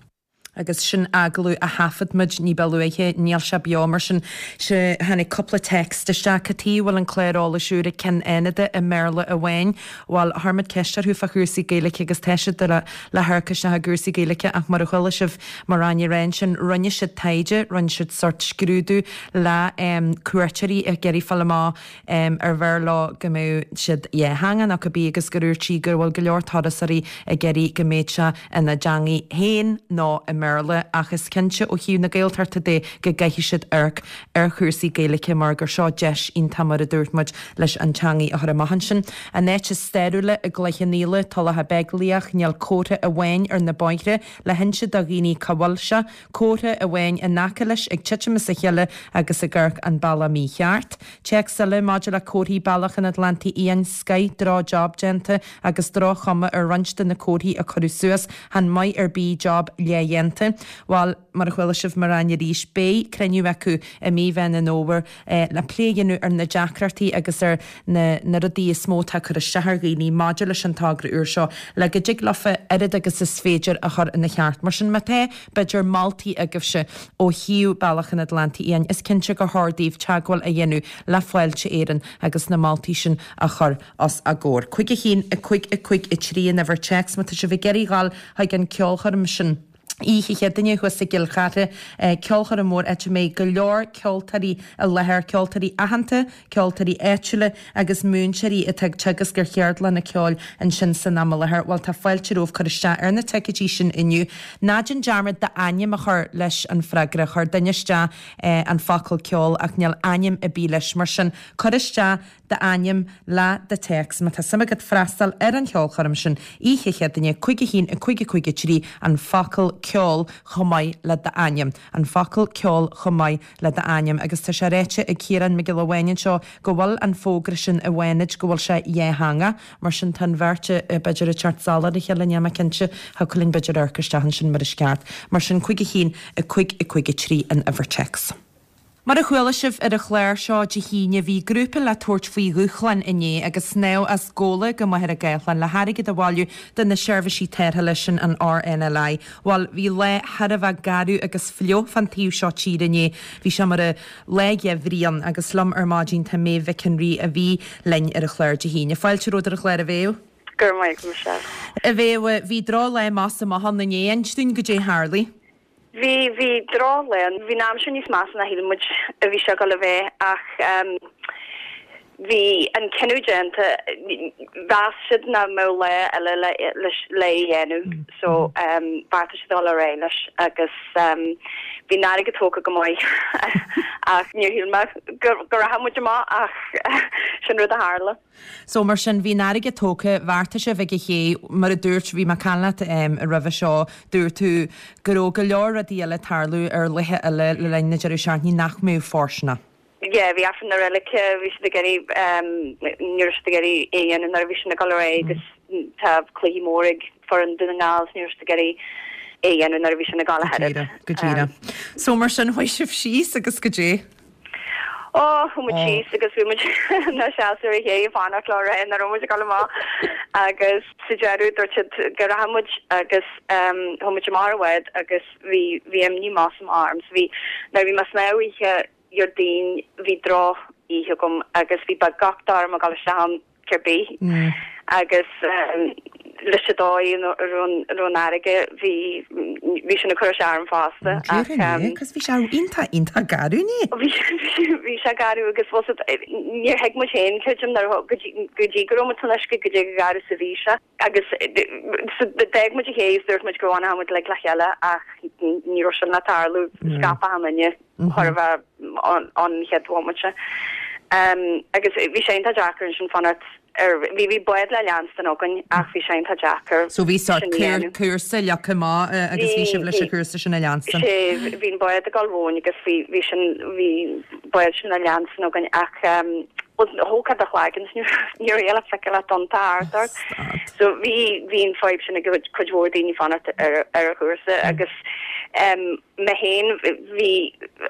S1: Agus sin agallamh a thaifead muid ní ba luaithe, níl sé beo mar sin. Sea, tháinig cúpla text isteach. Cad chuige a bhfuil an clár eolais úr ag Ceann Fhánada i mBéarla amháin? Bhuel, chuir muid ceist orthu fá chúrsaí Gaeilge agus tá siad le le hamharc isteach i gcúrsaí Gaeilge ach mar a chuala sibh Máire Áine ag rá ansin, rinne siad taighde, rinne siad sórt scrúdú le cuairteoirí ag iarraidh fáil amach ar bhfearr leo go mbeadh siad dhátheangach nó cibé agus gur dhúirt sí go bhfuil go leor turasóirí ag iarraidh go mbeadh sé ina dteangaidh féin nó i mBéarla ach is cinnte ó thaobh na Gaeltachta de go gcaithfidh siad amharc ar chúrsaí Gaeilge mar gur seo deis iontach mar a dúirt muid leis an teangaidh a chur amach ansin. An áit is stairiúla i gCloich Cheann Fhaola, Tulach Beaglaoich, níl comhartha amháin ar na bóithre le hinse do dhaoine cá bhfuil sé. Comhartha amháin in aice leis ag titim as a chéile agus ag amharc an bealach mícheart. Téacs eile maidir le comharthaí Bealach an Atlantaigh Fhiáin, scoith, droch job déanta agus droch chuma ar roinnt de na comharthaí a cuireadh suas, chan maith ar bith job leathdhéanta. blianta. Bhuel, mar a chuala sibh mo ráin arís, beidh cruinniú acu i mí Mheán an Fhómhair le plé a dhéanamh ar na deacrachtaí agus ar na na rudaí is mó atá ag cur isteach ar dhaoine maidir leis an togra úr seo le go dtig leofa oiread agus is féidir a chur ina cheart. Mar sin, má tá, b'fhéidir, moltaí agaibhse ó thaobh Bealach an Atlantaigh Fhiáin, is cinnte gur chóir daoibh teagmháil a dhéanamh le Fáilte Éireann agus na moltaí sin a chur os a gcomhair. 5 1 5 5 3 an uimhir téacs má tá sibh ag iarraidh dhul chuig an ceolchoirm sin. Oíche Chéadaoine thuas i gCill Chartha, ceolchoirm mhór áit a mbeidh go leor ceoltóirí i láthair, ceoltóirí aitheanta, ceoltóirí áitiúla agus múinteoirí atá ag teagasc ar cheardlanna ceoil ansin san am i láthair. Bhuel, tá fáilte romhaibh cur isteach ar na ticéidí sin inniu. Ná déan dearmad d'ainm a chur leis an freagra. Chuir duine isteach an focal ceol ach níl ainm ar bith leis. Mar sin, cuir isteach d'ainm le do théacs. Má tá suim agat freastal ar an cheolchoirm sin oíche Chéadaoine 5 1 5 5 3 an focal ceol chomh maith le d'ainm. An focal ceol chomh maith le d'ainm. Agus tá sé ráite ag Ciarán Mac Giolla Bháin anseo go bhfuil an fógra sin i bhFánaid, go bhfuil sé dhátheangach. Mar sin tá an bheirt b'fhéidir ag teacht salach ar a chéile, níl mé cinnte. Thiocfadh linn b'fhéidir amharc isteach ansin mar is ceart. Mar sin 5 1 5 5 3 an uimhir téacs. Mar a chuala sibh ar an chlár seo Dé hAoine, bhí grúpa le tabhairt faoi dhúshlán inné agus snámh as Gabhla go Machaire Gathlán le hairgead a bhailiú do na seirbhísí tarrthála sin an RNLI. Bhuel, bhí lá thar a bheith garbh agus fliuch fán taobh seo tíre inné. Bhí sé mar lá geimhridh ann agus liom ar maidin tá Méabh Mhic an Rí a bhí linn ar an chlár Dé hAoine. Fáilte romhat ar an chlár a Mhéabh.
S5: Go raibh maith agat Michelle.
S1: A Mhéabh, bhí droch-lá amach is amach ann inné. Inis dúinn goidé a tharlaigh.
S5: Bhí, bhí drochlá ann. Bhí an aimsir níos measa ná shíl muid a bhí sé ag dul a bheith ach bhí an cinneadh déanta, mheas siad nach mbeadh lá eile le le é dhéanamh so bheartaigh siad dul ar aghaidh leis agus bhí an fharraige tógtha go maith ach níor shíl mé go go rachadh muid amach ach sin rud a tharla.
S1: So, mar sin, bhí an fharraige tógtha, bheartaigh sibh ag an ché, mar a dúirt, bhí mé ag caint leat roimhe seo, dúirt tú go raibh go leor rudaí eile ag tarlú ar laethe eile le linn na deireadh seachtaine nach mbeadh fóirsteanach.
S5: Yeah, bhí Aifreann na Reilige, bhí siad ag iarraidh, ní raibh siad ag iarraidh é a dhéanamh nuair a bhí sin ag dul ar aghaidh agus tá cluichí mór ag foireann Dún na nGall so ní raibh siad ag iarraidh é a dhéanamh nuair a bhí sin ag dul
S1: ahead. Go díreach, go díreach. So, mar sin, chuaigh sibh síos agus goidé.
S5: Ó, chuaigh muid síos agus bhí muid inár seasamh ar an ché ag fanacht leo a rá nach raibh muid ag dul amach agus sa deireadh dúirt siad go rachadh muid agus chuaigh muid amach ar an bhád agus bhí bhí imní amach is amach orm so bhí nuair a bhí mé ag snámh oíche Dhéardaoin bhí droch oíche agam agus bhí beagnach orm a dhul isteach ann. ar bith agus leis an dóigh a raibh an fharraige bhí bhí sin ag cur isteach orm fosta
S1: ach Cos bhí sé iontach iontach garbh inné.
S5: Bhí bhí sé garbh agus bhfuil fhios agat níor thuig muid féin creidim nuair go dtí go raibh muid san uisce goidé chomh garbh is a bhí sé agus d'fhág muid an ché is dúirt muid go bhfanfadh muid like le chéile ach ní raibh sin le tarlú scaip achan duine. chóir a bheith ón chéad bhomaite. Agus bhí sé iontach deacair ansin fanacht ar, bhí bhí bád le leanstan againn ach bhí sé iontach deacair
S1: So bhí sort sin a dhéanamh. cúrsa leagtha amach agus bhí sibh leis an chúrsa sin a leanstan.
S5: Sé, bhí an bád ag dul romhainn agus bhí bhí sin bhí bád sin le leanstan againn ach thógfá do chlaigeann ní raibh le feiceáil ach tonnta thart ort. So bhí bhí an fadhb sin ag cuid mhór daoine fanacht ar ar an chúrsa agus Mé féin, bhí,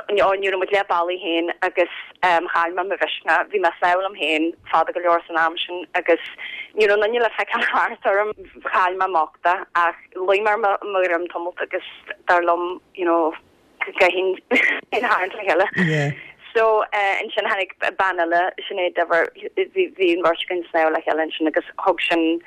S5: ní raibh muid leath bealaigh féin agus chaill mé mo mhisneach. Bhí mé ag snámh liom féin fada go leor san am sin agus ní raibh aon duine le feiceáil thart orm. Chaill mé m'uchtach ach luigh mé ar mo dhroim tamalt agus dar liom, you know, go gcaithfinn féin a tharraingt le chéile.
S1: Yeah.
S5: So ansin tháinig bean eile, Sinéad Diver, bhí an bheirt againn ag snámh le chéile ansin agus thug sin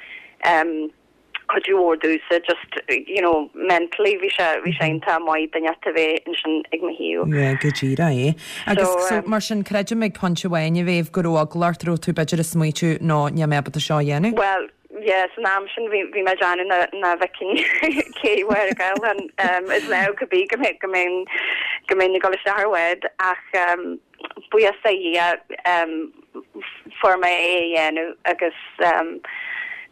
S5: cuidiú mhór domhsa just you know mentally bhí sé bhí sé iontach maith duine a bheith ansin ag mo thaobh.
S1: Yeah, go díreach é. Agus so, so mar sin creidim ag pointe amháin a Mhéabh go raibh eagla ort, raibh tú b'fhéidir ag smaoitiú no níl mé ábalta seo a dhéanamh.
S5: Well yeah san am sin bhí bhí mé ag déanamh nach nach bhfeicfinn cé Mhachaire Gathlán um, is léir go bí go mbeidh go mbeinn go mbeinn ag dul isteach ar bhád ach um, buíochas do Dhia fuair mé é a dhéanamh agus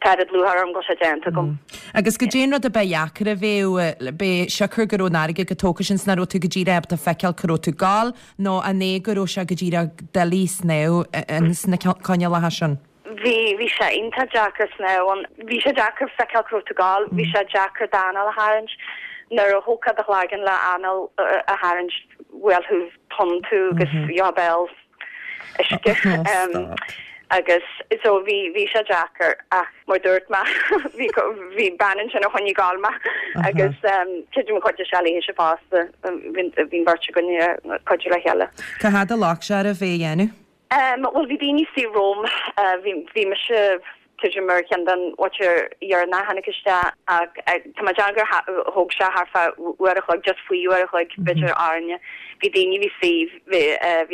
S5: tá oiread lúcháir orm go bhfuil sé déanta agam.
S1: Agus goidé an rud a ba dheacair a Mhéabh, b'é siocair go raibh an fharraige chomh tógtha sin 's nach raibh tú go díreach ábalta feiceáil cá raibh tú ag gabháil nó an é go raibh sé go díreach doiligh snámh ins na coinníollacha sin?
S5: Bhí, bhí sé iontach deacair snámh ann. Bhí sé deacair feiceáil cá raibh tú ag gabháil, bhí sé deacair d'anáil a tharraingt. Nuair a thógfá do chlaigeann le anáil a tharraingt bhuail thú tonn tú agus gheofá béal uisce. Agus so bhí bhí sé deacair ach mar dúirt mé bhí bhí bean ansin a choinnigh ag gabháil mé agus creidim chuidigh sé léithe fosta bhí an bheirt againn ag cuidiú le chéile.
S1: Cá fhad a ghlac sé oraibh é a dhéanamh?
S5: Bhuel bhí daoine istigh romham, bhí bhí mise creidim ar cheann den mhuintir dheireanach a tháinig isteach ach tá mé ag déanamh gur thóg sé thart fá uair a chloig, just faoi uair a chloig b'fhéidir orainne. Bhí daoine a bhí istigh, bhí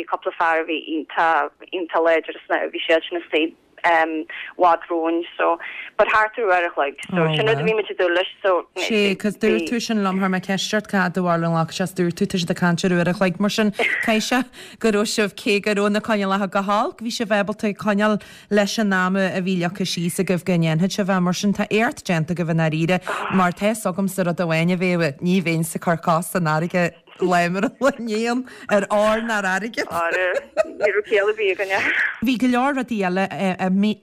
S5: bhí cúpla fear a bhí iontach iontach láidir sna bhí siad sin istigh i bhfad romhainn so but thart ar uair a chloig so sin rud a bhí muid ag dúil leis so
S1: Sé, cos dúirt tú sin liom, chuir mé ceist ort cá fhad a bharúil a ghlac sé 's dúirt tú tá siad ag caint ar uair a chloig mar sin caithfidh sé go raibh sibh cé go raibh na coinníollacha go holc bhí sibh ábalta coinneáil leis an am a bhí leagtha síos agaibh go ndéanfadh sibh é mar sin tá éacht déanta agaibh i ndáiríre mar tá fhios agamsa rud amháin a Mhéabh, ní bheinnse ag cur cos san fharraige lá mar an lá inniu ar ór ná ar airgead.
S5: Ara, ní raibh ciall ar bith againne.
S1: Bhí go leor rudaí eile,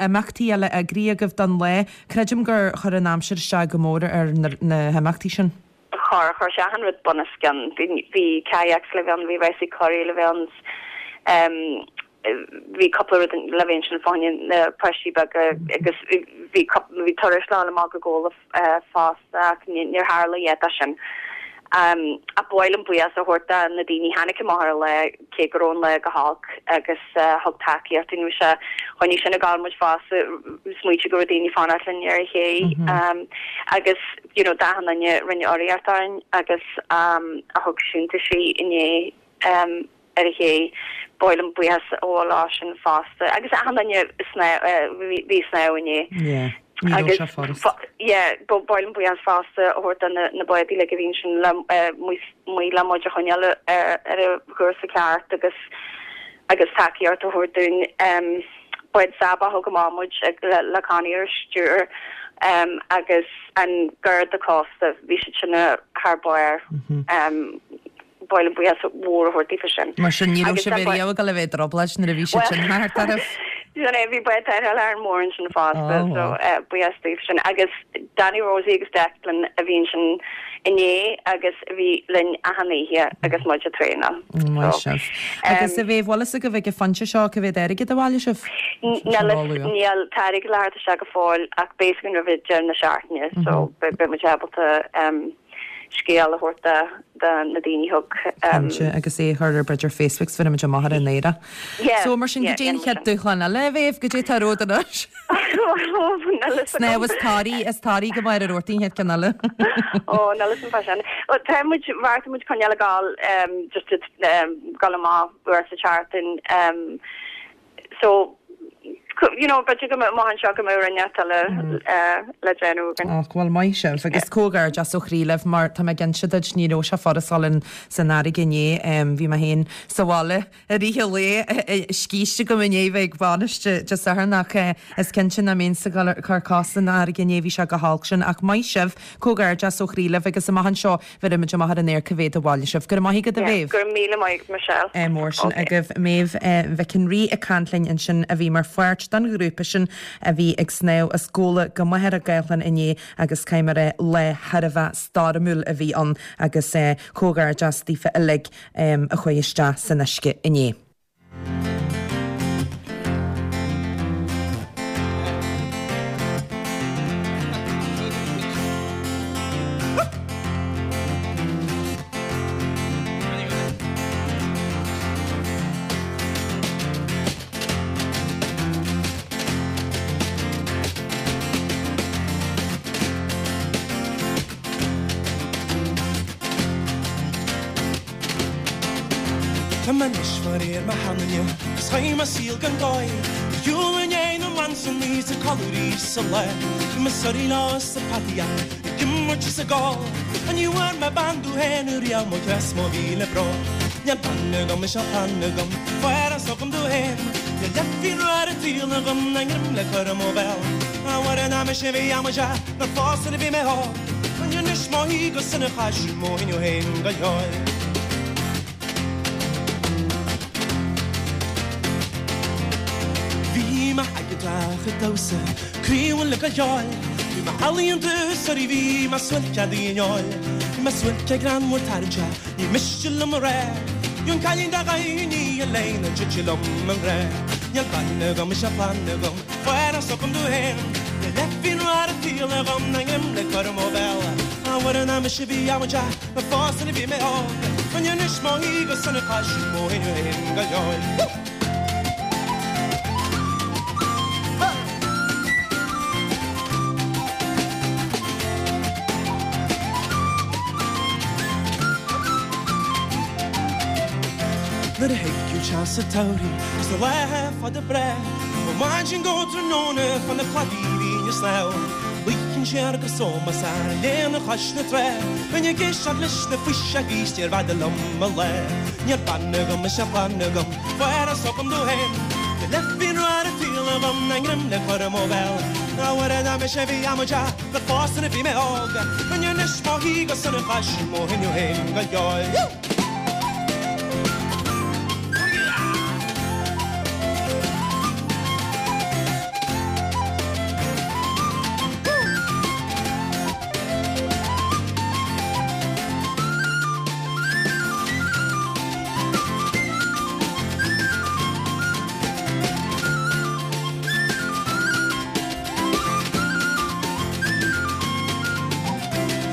S1: imeachtaí eile eagraithe agaibh don lá. Creidim gur chuir an aimsir isteach go mór ar na himeachtaí sin.
S5: Chuir, chuir sé achan rud bunoscionn. Bhí, bhí kayaks le bheith ann, bhí rásaí curaí le bheith ann, bhí cúpla rud le bheith ansin fá choinne na páistí beaga agus bhí, bhí turais le dhul amach go Gabhla fosta ach níor tharla a dhath de sin. Ach ba mhaith liom buíochas a thabhairt do na daoine a tháinig amach ar an lá cé go raibh an lá go holc agus thug tacaíocht dúinn. Bhí sé, choinnigh sin ag gabháil muid fosta, smaointiú go raibh daoine ag fanacht linn ar an ché agus you know d'achan duine a rinne urraíocht orainn agus a thug síntiúisí inné ar an ché. Ba mhaith liom buíochas a ghabháil leo sin fosta agus achan duine bhí ag snámh inné.
S1: Yeah, ní raibh sé furast.
S5: Yeah, ba mhaith liom buíochas fosta a thabhairt do na báid uilig a bhí ansin le amuigh le muid a choinneáil ar an chúrsa ceart agus agus tacaíocht a thabhairt dúinn. Bád Saba a thug amach muid le Connie ar stiúir agus an Garda Cósta, bhí siad sin thar barr. Ba mhaith liom buíochas mhór a thabhairt daofa sin.
S1: Mar sin, ní raibh sibh riamh ag dul a bheith i dtrioblóid nuair a bhí siad sin thart oraibh.
S5: Sin é, bhí bád tarrthála Árainn Mhór ansin fosta, so buíochas daofa sin. Agus Danny Rosie agus Declan a bhí ansin inné agus a bhí linn achan oíche agus muid ag traenáil.
S1: Maith sibh. Agus a Mhéabh, bhfuil fhios agaibh ag an phointe seo cá mhéad airgead a bhailigh sibh?
S5: Níl, níl, tá airgead le theacht isteach go fóill ach beidh fhios againn roimh deireadh na seachtaine so beidh muid ábalta scéal a thabhairt do na daoine a thug.
S1: Cinnte, agus é a chur ar b'fhéidir Facebook 's bheir muid amach ar an aer é. So mar sin, goidé an chéad dúshlán eile, a Mhéabh, goidé atá romhat anois? Snámh is toraí, is toraí go Machaire Rabhartaigh an chéad ceann eile.
S5: Ó, níl fhios agam fá sin. Bhuel, tá muid, bheartaigh muid coinneáil ag gabháil, just gabháil amach uair sa tseachtain. So, you know, b'fhéidir go mbeadh amach anseo go mbeadh rud inteacht eile le déanamh againn.
S1: Och, bhuel, maith sibh. Agus comhghairdeas ó chroí libh mar tá mé ag inse duit, ní raibh sé furast dul in san fharraige inné. Bhí mé féin sa bhaile i rith an lae, scíste agam i ndiaidh bheith ag bainis Dé Sathairn ach is cinnte nach mbeinnse ag dul ag cur cos san fharraige inné, bhí sé go holc sin. Ach maith sibh, comhghairdeas ó chroí libh agus amach anseo Bheirfimid amach ar an aer cá mhéad a bhailigh sibh. Go raibh maith agat a Mhéabh.
S5: Go raibh míle maith agat Michelle.
S1: Ádh mór sin agaibh. Méabh Mhic an Rí ag caint linn ansin a bhí mar pháirt den ghrúpa sin a bhí ag snámh as Gabhla go Machaire Gathlán inné agus caithfidh mé a rá lá thar a bheith stoirmiúil a bhí ann agus comhghairdeas daofa uilig a chuaigh isteach san uisce inné.
S6: Tá mé anois fá réir mo sheanduine 'gus chaith mé saol gan dóigh Ar shiúl i ndiaidh na mBransonnaí 's ag codladh arís sa lá Bhí mé ag suirí leo 's ag peataíocht ag imirt is ag ól Ach ní bhfuair mé bean domh féin riamh mo chreas mo mhíle brón Níl bean agam is níl clann agam fuair agam domh féin Níl leathphingin rua ar an tsaol agam ná greim le cur i mo bhéal A Mhuire nach mise a bhí amaideach Nuair phósadh a bhí mé óg Anois mo shuí go sona chaith sí mo inniu féin go leor. Bhí mé ag an dteach ag damhsa, croí le go leor. Bhí mé ealaíonta, sorry bhí mé suailceadaí in eoil. mé suairce greannmhar tarraingteach, ní miste liom a rá. An cailín dá gcaithfinn í a léine titfidh liom i ngrá. Níl bean agam is níl clann agam, fuair is agam domh féin. Níl leithphinnin rua ar an tsaol agam ná greim le cur i mo bhéal. A Mhuire nach mise a bhí amaideach mar fás nuair a bhí mé óg. Bheinn anois mo shuí go sona cois mo thinneadh féin go leor. Nuair a thigeadh teas an tsamhraidh agus na laetha fada breá, Ó mhaidin go tráthnóna fan na cladaí bhínn ag snámh. Luífinn siar go sómasach ar an léana chois na trá, Bheinn ag éisteacht leis na fuiseogaí 's níorbh fhada liom mo lá. Níl bean agam is níl clann agam, fuair is agam domh féin. Níl leithphinnin rua ar an tsaol agam ná greim le cur i mo bhéal. A Mhuire nach mise a bhí amaideach go fás nuair a bhí mé óg, Bheinn anois mo shuí go sona cois mo thinneadh féin go leor.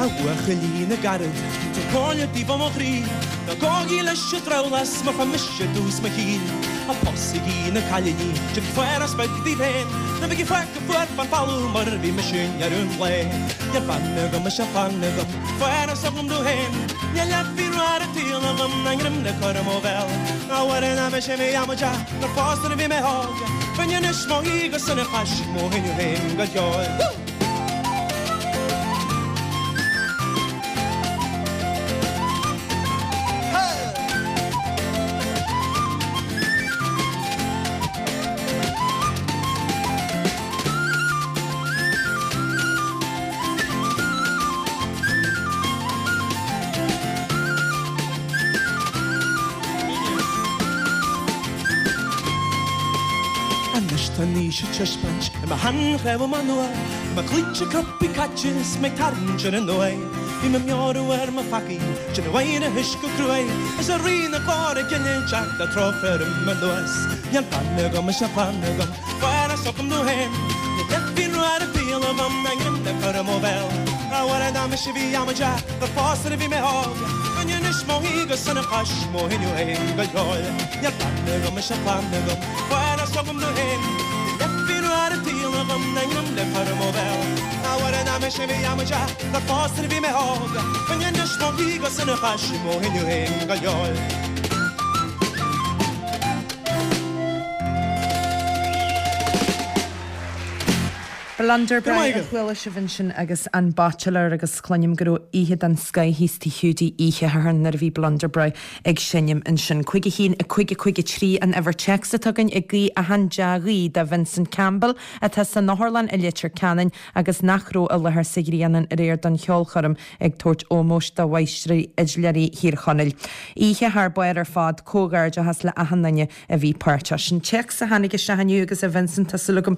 S6: A bhuachaillí na gcarad, Tá comhairle daoibh ó mo chroí, Ná gabhaigí leis an drabhlás mar chuir mise i dtús mo shaoil. Ná pósaigí na cailíní, déanaigí forás beag daoibh féin, Ná bígí fágtha fuar fán bhfolamh mar a bhí mise i ndeireadh an lae. Níl bean agam is níl clann agam, fuair is agam domh féin, Níl leithphinnin rua ar an tsaol agam ná greim le cur i mo bhéal. A Mhuire nach mise a bhí amaideach gur fás nuair a bhí mé óg, Bheinn anois mo shuí go sona cois mo thinneadh féin go leor. Anois tá an aois ag taispeáint i mo sheanchnámha nua, Tá mo chloigne cruptha caite is mé ag tarraingt ar an uaigh. Bím ag meabhrú ar mo pheacaí, déanamh aithris go cruaidh, Is a Rí na glóire gile ag teacht le trócaire orm anuas. Níl bean agam is níl clann agam, fuair is agam domh féin, Níl leithphinnin rua ar an tsaol agam ná greim le cur i mo bhéal. A Mhuire nach mise a bhí amaideach gur fás nuair a bhí mé óg, Bheinn anois mo shuí go sona cois mo thinneadh féin go leor. Níl bean agam is níl clann agam, fuair is agam domh féin, Níl leithphinnin rua ar an tsaol agam ná greim le cur i mo bhéal. A Mhuire nach mise a bhí amaideach gur fás nuair a bhí mé óg, Bheinn anois mo shuí go sona cois mo thinneadh féin go leor.
S1: Blunderbrow a chuala sibh ansin agus an Bachelor agus cluinim go raibh oíche den scoith thíos Tigh Hiúdaí oíche Shathairn nuair a bhí Blunderbrow ag seinm ansin. 5 1 5 5 3 an uimhir téacs atá againn ag guí achan dea-ghuí do Vincent Campbell atá san otharlann i Leitir Ceanainn agus nach raibh i láthair sa Ghrianán aréir don cheolchoirm ag tabhairt ómóis do Mháistrí Fhidléirí Thír Chonaill. Oíche thar barr ar fad, comhghairdeachas le achan duine a bhí páirteach. Sin téacs a tháinig isteach inniu agus a Vincent tá súil agam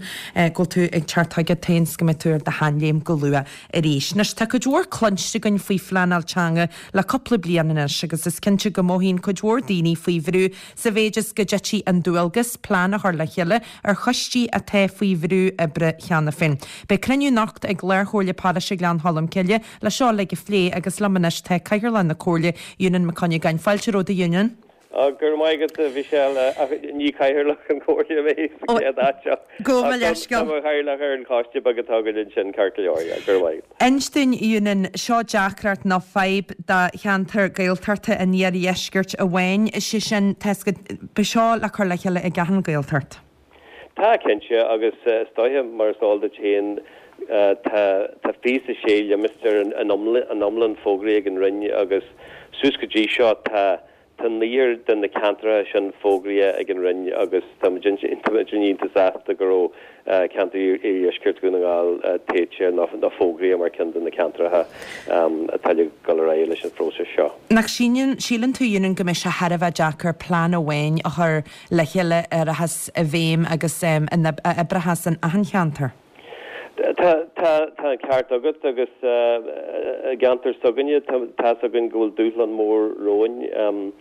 S1: go bhfuil tú ag teacht chugat féin 's go mbeidh tú ar do sheanléim go luath arís. Anois tá cuid mhór cluinste againn faoi phleanáil teanga le cúpla bliain anois agus is cinnte go mothaíonn cuid mhór daoine faoi bhrú sa mhéid is go dtitfidh an dualgas plean a chur le chéile ar choistí atá faoi bhrú oibre cheana féin. Beidh cruinniú anocht ag Lár-Chomhairle Paróiste Ghleann Cholm Cille le seo uilig a phlé agus liom anois tá Cathaoirleach na Comhairle, Eunan Mac Cuinneagáin. Fáilte romhat a Eunan.
S7: Go raibh maith agat, a Mhichelle, ach ní cathaoirleach an Chomhairle mé sa chéad áit seo.
S1: Gabh mo leithscéal.
S7: Tá mo chathaoirleach ar an choiste beag atá againn ansin, ceart go leor, yeah, go raibh maith agat.
S1: Inis dúinn, Eunan, seo deacracht nó fadhb do cheantar Gaeltachta an iardheiscirt amháin, sé sin, tá 'fhios agat, beidh seo le cur le chéile ag achan Ghaeltacht.
S7: Tá, cinnte, agus is dóiche, mar is eol duit féin, tá tá 26 limistéar in iomlán fógraithe ag an Roinn agus suas go dtí seo tá tá naonúr de na ceantracha sin fógraithe ag an Roinn agus tá muid tá muid iontach sásta go raibh ceantar Iardheisceart Dhún na nGall toghte nó nó fógraithe mar ceann de na ceantracha atá le dul ar aghaidh leis an phróiseas seo.
S1: Nach síleann síleann tú, Eunan, go mbeidh sé thar a bheith deacair plean amháin a chur le chéile a rachas i bhfeidhm agus a oibreochas in achan cheantar.
S7: Tá, tá, tá an ceart agat agus i gceantar s'againne tá, tá's againn go bhfuil dúshlán mór romhainn.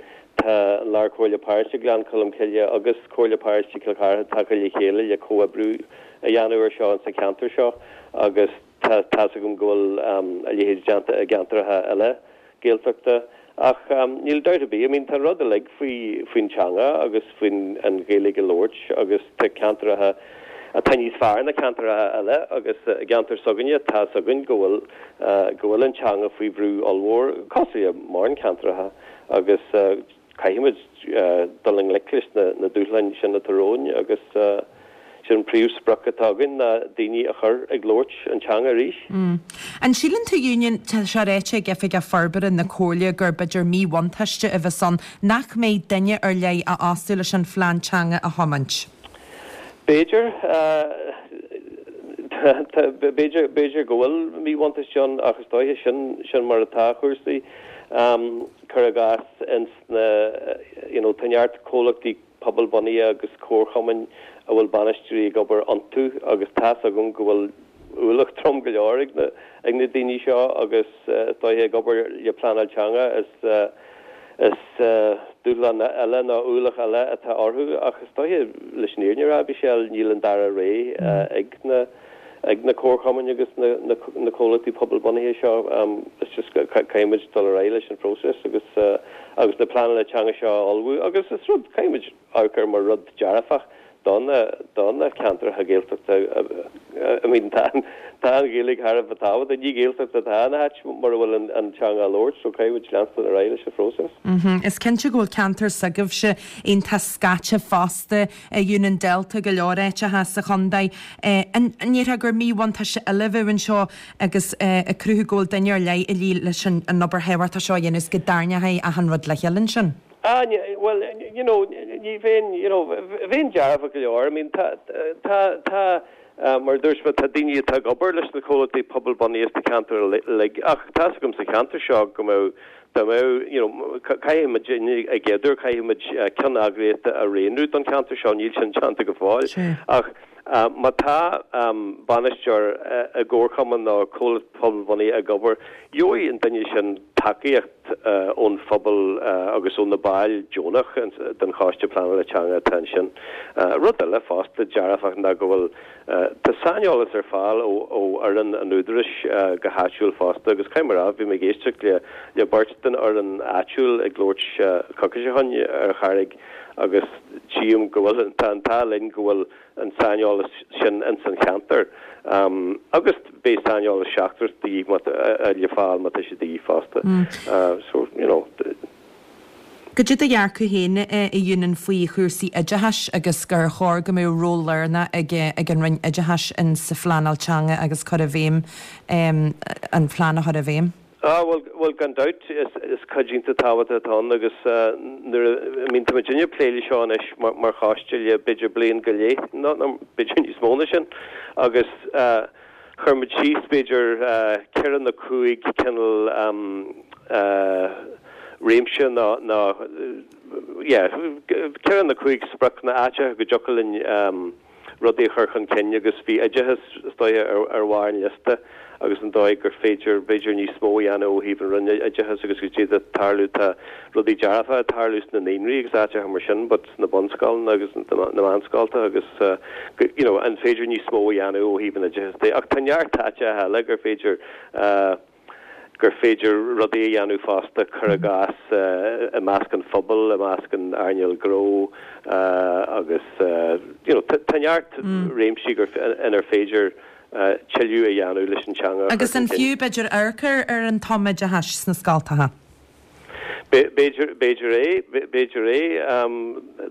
S7: Tá an Lár-Chomhairle Paróiste Ghleann Cholm Cille agus Comhairle Paróiste Chill Chartha tagtha le chéile le comhoibriú a dhéanamh ar seo insa cheantar seo agus tá, tá's agam go bhfuil a leithéid déanta i gceantracha eile Gaeltachta. Ach níl dabht ar bith, I mean tá an rud uilig faoi, faoin teanga agus faoin an Ghaeilge a labhairt agus tá ceantracha atá níos fearr ná ceantracha eile agus i gceantar s'againne tá's againn go bhfuil, go bhfuil an teanga faoi bhrú ollmhór, cosúil le mórán ceantracha agus caithfimid dul i ngleic leis na dúshláin sin atá romhainn agus sin an príomhsprioc atá againn ná daoine a chur ag labhairt an teanga arís.
S1: An síleann tú, a Eunan, tá sé ráite ag Oifigeach Forbartha na Comhairle gur b'fhéidir míbhuntáiste a bheas ann nach mbeidh duine ar leith á fhostú leis an phlean teanga a thiomáint.
S7: B'fhéidir. B'fhéidir, b'fhéidir go bhfuil míbhuntáiste ann ach is dóiche sin, sin mar atá cúrsaí. Cuir i gcás ins na, you know, tá neart comhlachtaí pobalbhunaithe agus comharchumainn a bhfuil bainisteoirí ag obair iontu agus tá's agam go bhfuil ualach trom go leor ag na, ag na daoine seo agus is dóiche ag obair le pleanáil teanga is, is dúshlán eile nó ualach eile atá orthu ach is dóiche leis an fhírinne a rá, Michelle, níl an dara rogha ag na, ag na comharchumainn agus na, na, na comhlachtaí pobalbhunaithe seo. It's just caithfimid dul ar aghaidh leis an phróiseas agus, agus na pleananna teanga seo a ullmhú agus is rud, caithfimid amharc air mar rud dearfach do na, do na ceantracha Gaeltachta. I mean tá, tá an Ghaeilge thar a bheith tábhachtach. Ní Gaeltacht atá ina háit mura bhfuil an, an teanga á labhairt so caithfimid leanstan ar aghaidh leis an phróiseas.
S1: Is cinnte go bhfuil ceantar s'agaibhse iontach scaite fosta. A Eunan Delta go leor áiteacha sa chontae. An ndéarfá gur míbhuntáiste eile a bheadh anseo agus ag cruthú go bhfuil duine ar leith a dhíth leis an obair thábhachtach seo a dhéanamh is go dtarraingeofaí achan rud le chéile ansin?
S7: Ah, bhuel, you know, ní bheinn, you know, bheinn dearfach go leor. I mean, tá, tá, tá, mar a dúirt mé, tá daoine atá ag obair leis na comhlachtaí pobalbhunaithe sna ceantair uilig ach tá's agam sa cheantar seo go mbeadh Dá mbeadh, you know, caithfidh muid, i gcéaduair, caithfidh muid ceann eagraíochta a roghnú don cheantar seo, níl sin déanta go fóill. Ach má tá bainisteoir i gcomharchumann nó comhlacht pobalbhunaithe ag obair, gheobhaidh an duine sin tacaíocht ón phobal agus ó na baill deonach den Choiste Pleanála Teanga atá ansin. Rud eile fosta dearfach ná go bhfuil Tá saineolas ar fáil ó fhoireann an Údaráis go háitiúil fosta agus caithfidh mé a rá, bhí mé ag éisteacht le beirt den fhoireann áitiúil ag labhairt coicís ó shin ar an Charraig agus tchím go bhfuil, tá an t-ádh linn go bhfuil an saineolas sin ins an cheantar agus beidh saineolas seachtrach de dhíth le fáil má tá sé de dhíth fosta. So, you know.
S1: Cad é do dhearcadh féin, a Eunan, faoi chúrsaí oideachais agus gur chóir go mbeadh ról lárnach ag an Roinn Oideachais in sa phleanáil teanga agus cur i bhfeidhm, an phlean a chur i bhfeidhm?
S7: Ah, bhuel, bhuel, gan dabht, is, is cuid iontach tábhachtach atá ann agus nuair a, I mean, tá muidinne ag plé leis seo anois mar, mar choiste le b'fhéidir bliain go leith, nó, nó b'fhéidir níos mó ná sin, agus chuir muid síos b'fhéidir ceithre nó cúig cineál réimse nó nó yeah ceithre nó cúig sprioc nó áiteacha go dtiocfadh linn rudaí a chur chun cinn agus bhí oideachas is dóiche ar ar bharr an liosta agus an dóigh gur féidir b'fhéidir níos mó a dhéanamh ó thaobh an Roinn Oideachais agus goidé atá ag tarlú tá rudaí dearfacha ag tarlú sna naíonraí agus áiteacha mar sin but sna bunscoileanna agus na meánscolta agus you know an féidir níos mó a dhéanamh ó thaobh an oideachais de ach tá neart áiteacha eile gur féidir gur féidir rudaí a dhéanamh fosta, cuir i gcás, i measc an phobail, i measc an earnáil gnó agus you know tá neart réimsí gur inar féidir tuilleadh a dhéanamh leis an teanga a chur
S1: Agus
S7: chun
S1: an
S7: cinn.
S1: fiú, b'fhéidir, amharc ar an tumoideachas sna scoltacha?
S7: B'fhéidir, b'fhéidir é, b'fhéidir é.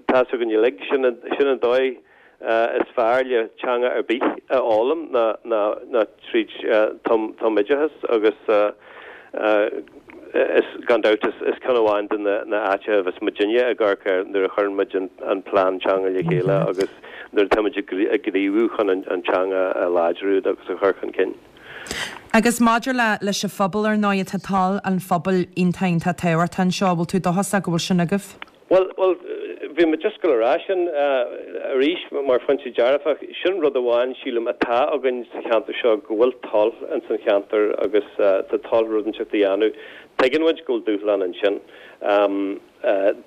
S7: Tá's againn uilig, sin an dóigh is fearr le teanga ar bith a fhoghlaim ná tríd tumoideachas agus is gan dabht is ceann amháin de na áiteacha a bheas muidinne ag amharc air nuair a chuireann muid an plean teanga le chéile agus nuair atá muid ag gníomhú chun an teanga a láidriú agus a chur chun cinn.
S1: Agus maidir le leis an phobal ar ndóigh tá toil an phobail iontach iontach tábhachtach anseo, bhfuil tú dóchasach go bhfuil sin agaibh?
S7: Bhuel, bhuel, bhí mé just ag gabháil a rá sin arís mar phointe dearfach. Sin rud amháin, sílim, atá againn sa cheantar seo, go bhfuil toil ins an cheantar agus tá toil rud inteacht a dhéanamh. Tuigeann muid go bhfuil dúshlán ansin.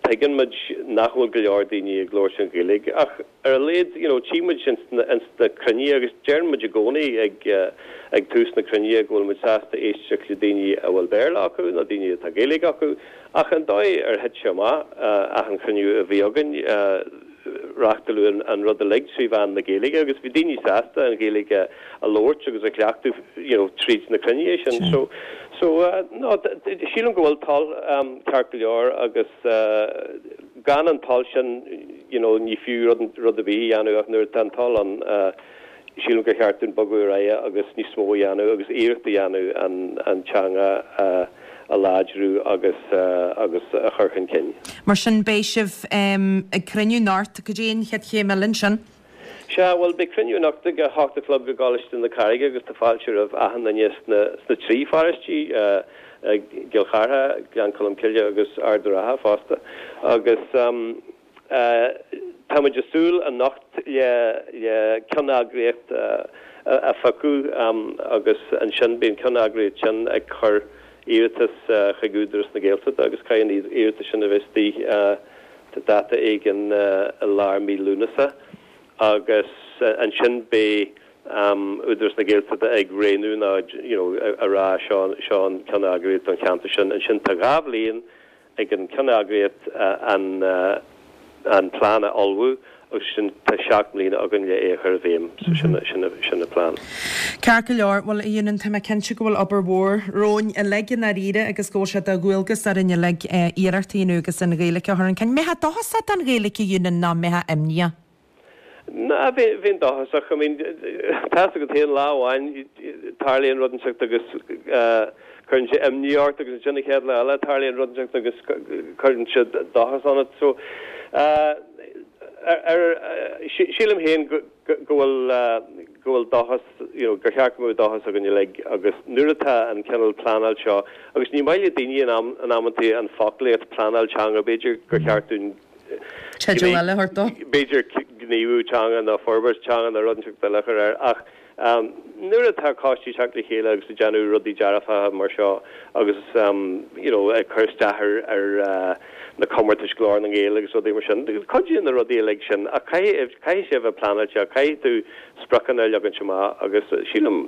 S7: Tuigeann muid nach bhfuil go leor daoine ag labhairt an Ghaeilge ach ar a laghad, you know, tchí muid ins na cruinnithe agus deireann muid i gcónaí ag ag tús na cruinnithe go bhfuil muid sásta éisteacht le daoine a bhfuil Béarla acu nó daoine atá Gaeilge acu ach an dóigh ar thit sé amach achan chruinniú a bhí againn, reáchtáladh an rud uilig trí mheán na Gaeilge agus bhí daoine sásta an Ghaeilge a labhairt agus a chleachtadh you know tríd na cruinnithe sin. So so no sílim go bhfuil toil ceart go leor agus gan an toil sin you know ní fiú rud rud ar bith a dhéanamh ach nuair atá an toil ann sílim gur cheart dúinn bogadh ar aghaidh agus níos mó a dhéanamh agus iarracht a dhéanamh an an teanga a a láidriú agus agus a chur chun cinn.
S1: Mar sin beidh sibh ag cruinniú anocht. Cad é an chéad chéim eile ansin?
S7: Sea, bhuel beidh cruinniú anocht ag a hocht a chlog i gColáiste na Carraige agus tá fáilte roimh achan duine sna sna trí pharóistí, gCill Chartha, Gleann Cholm Cille agus Ard a' Rátha fosta. Agus. Tá muid ag súil anocht le ceanneagraíocht a phiocadh agus ansin beidh an ceanneagraíocht sin ag cur iarratas chuig Údarás na Gaeltachta agus caithfidh an iarratas sin a bheith istigh tá dáta éigin i lár mí Lúnasa agus ansin beidh Údarás na Gaeltachta ag roghnú nó you know a rá seo seo an ceanneagraíocht don cheantar sin. Ansin tá dhá bhliain ag an ceanneagraíocht an plean a ullmhú agus sin tá 7 mbliana againn le é a chur i bhfeidhm so sin sin an plean.
S1: Ceart go leor, bhuel a Eunan tá mé cinnte go bhfuil obair mhór romhainn uilig i ndáiríre agus go bhfuil sé de dhualgas orainn uilig iarracht a dhéanamh agus an Ghaeilge a chur chun cinn. Mbeifeá dóchasach don Ghaeilge a Eunan nó mbeifeá imníoch?
S7: Ná, bheinn dóchasach. I mean, tá's agat féin, lá amháin tarlaíonn rud inteacht agus cuireann sé imní ort agus ansin an chéad lá eile tarlaíonn rud inteacht agus cuireann sé dóchas ionat. So, ar, sílim féin go bhfuil, go bhfuil dóchas, you know, gur cheart go mbeadh dóchas againn uilig agus nuair atá an cineál pleanáil seo, agus ní maith le daoine in am, in amantaí an foclaíocht pleanáil teanga, b'fhéidir gur cheart dúinn
S1: Teideal eile a thabhairt dó.
S7: B'fhéidir gníomhú teanga nó forbairt teanga nó rud inteacht eile a chur air ach nuair atá coistí ag teacht le chéile agus ag déanamh rudaí dearfacha mar seo agus you know ag cur isteach ar ar na comórtais Glór na nGael agus rudaí mar sin, cuidíonn na rudaí uilig sin ach caithfidh caithfidh sé a bheith pleanáilte, caithfidh tú spriocanna a leagaint amach agus sílim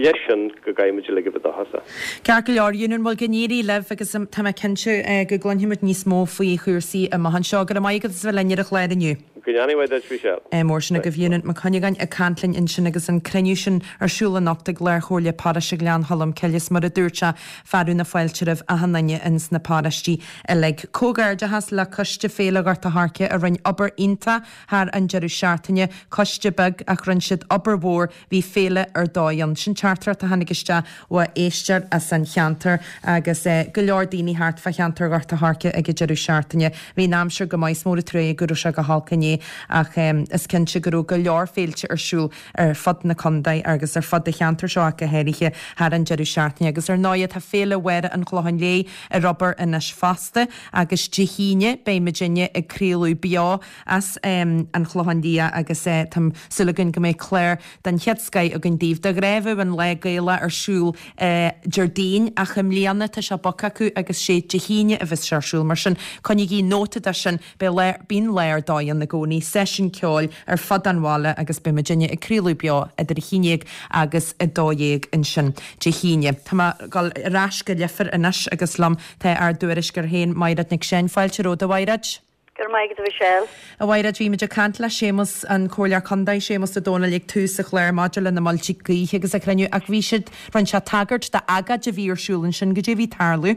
S7: leis sin go gcaithfidh muid uilig a bheith dóchasach.
S1: Ceart go leor, Eunan, bhuel go n-éirí libh agus tá mé cinnte go gcluinfimid níos mó faoi chúrsaí amach anseo. Go raibh maith agat as a bheith linn ar an chlár inniu.
S7: Go ndéana Dia duit, Michelle.
S1: Mór sin agaibh Eunan Mac Cuinneagáin ag caint linn ansin agus an cruinniú sin ar siúl anocht ag Lárchomhairle Paróiste Ghleann Cholm Cille is mar a dúirt sé, fearadh na fáilte roimh achan duine ins na paróistí uilig. Comhghairdeachas le Coiste Féile Ghort a' Choirce a rinne obair iontach Thar an deireadh seachtaine, coiste beag ach rinne siad obair mhór, bhí féile ar dóigh ann. Sin teachtaireacht a tháinig isteach ó éisteoir as an cheantar agus go leor daoine thart fá cheantar Ghort a' Choirce ag an deireadh seachtaine. Bhí an aimsir go maith, is mór an truaighe go raibh sé go holc inné ach is cinnte go raibh go leor féilte ar siúl ar fud na contae agus ar fud an cheantair seo ach go háirithe thar an deireadh seachtaine. Agus ar ndóighe tá Féile Mháire an Chlocháin Léith ar obair anois fosta agus Dé hAoine beidh muidinne ag craoladh beo as an Chlochán Liath agus tá súil againn go mbeidh clár den chéad scoith againn daoibh. De ghnáth bheadh an Lá Gaelach ar siúl Déardaoin ach i mbliana tá sé bogtha acu agus sé Dé hAoine a bheas sé ar siúl. Mar sin coinnígí nóta de sin, beidh lá, bíonn lá ar dóigh ann i gcónaí, seisiún ceoil ar fud an bhaile agus beidh muidinne ag craoladh beo idir 11 agus 12 ansin Dé hAoine. Tá mé ag dul ar ais go Leifear anois agus liom tá ár dtuairisceoir féin Maighread Nic Seáin. Fáilte romhat a Mhaighread.
S3: Go raibh maith agat a Mhichelle.
S1: A Mhaighread, bhí muid ag caint le Séamus, an Comhairleoir Contae, Séamus Ó Domhnaill ag tús an chláir maidir le na muilte gaoithe agus an cruinniú ach bhí siad, rinne sé tagairt d'agóid a bhí ar siúl ansin, goidé a bhí ag tarlú?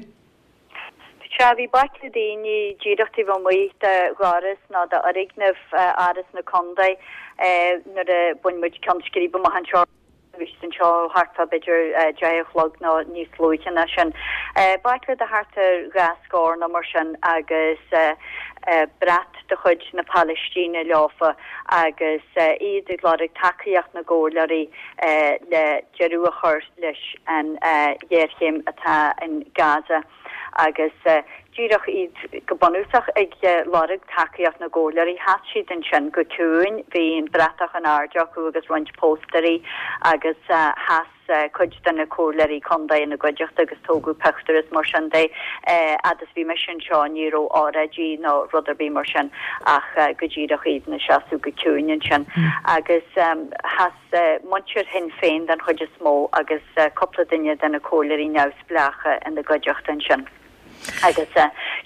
S3: Sea, bhí baicle daoine díreach taobh amuigh de dhoras nó d'fhoirgneamh Áras na Contae nuair a bhain muid ceann scríbe amach anseo. Bhí siad anseo thart fá b'fhéidir 10 a chlog nó níos luaithe ná sin. Baicle de thart ar dhá scór nó mar sin agus brat de chuid na Palaistíne leofa agus iad ag lorg tacaíocht na gcomhairleoirí le deireadh a chur leis an ghéarchéim atá in Gaza. Agus díreach iad go bunúsach ag lorg tacaíocht na gcomhairleoirí. Sheas siad ansin go ciúin, bhí an bratach in airde acu agus roinnt póstaerí agus sheas cuid de na comhairleoirí contae ina gcuideachta agus tógadh pictiúr is mar sin de. Fhad is bhí mise anseo ní raibh óráidí nó rud ar bith mar sin ach go díreach iad ina seasamh go ciúin ansin. Agus sheas muintir Shinn Féin den chuid is mó agus cúpla duine de na comhairleoirí neamhspleácha ina gcuideachta ansin. Agus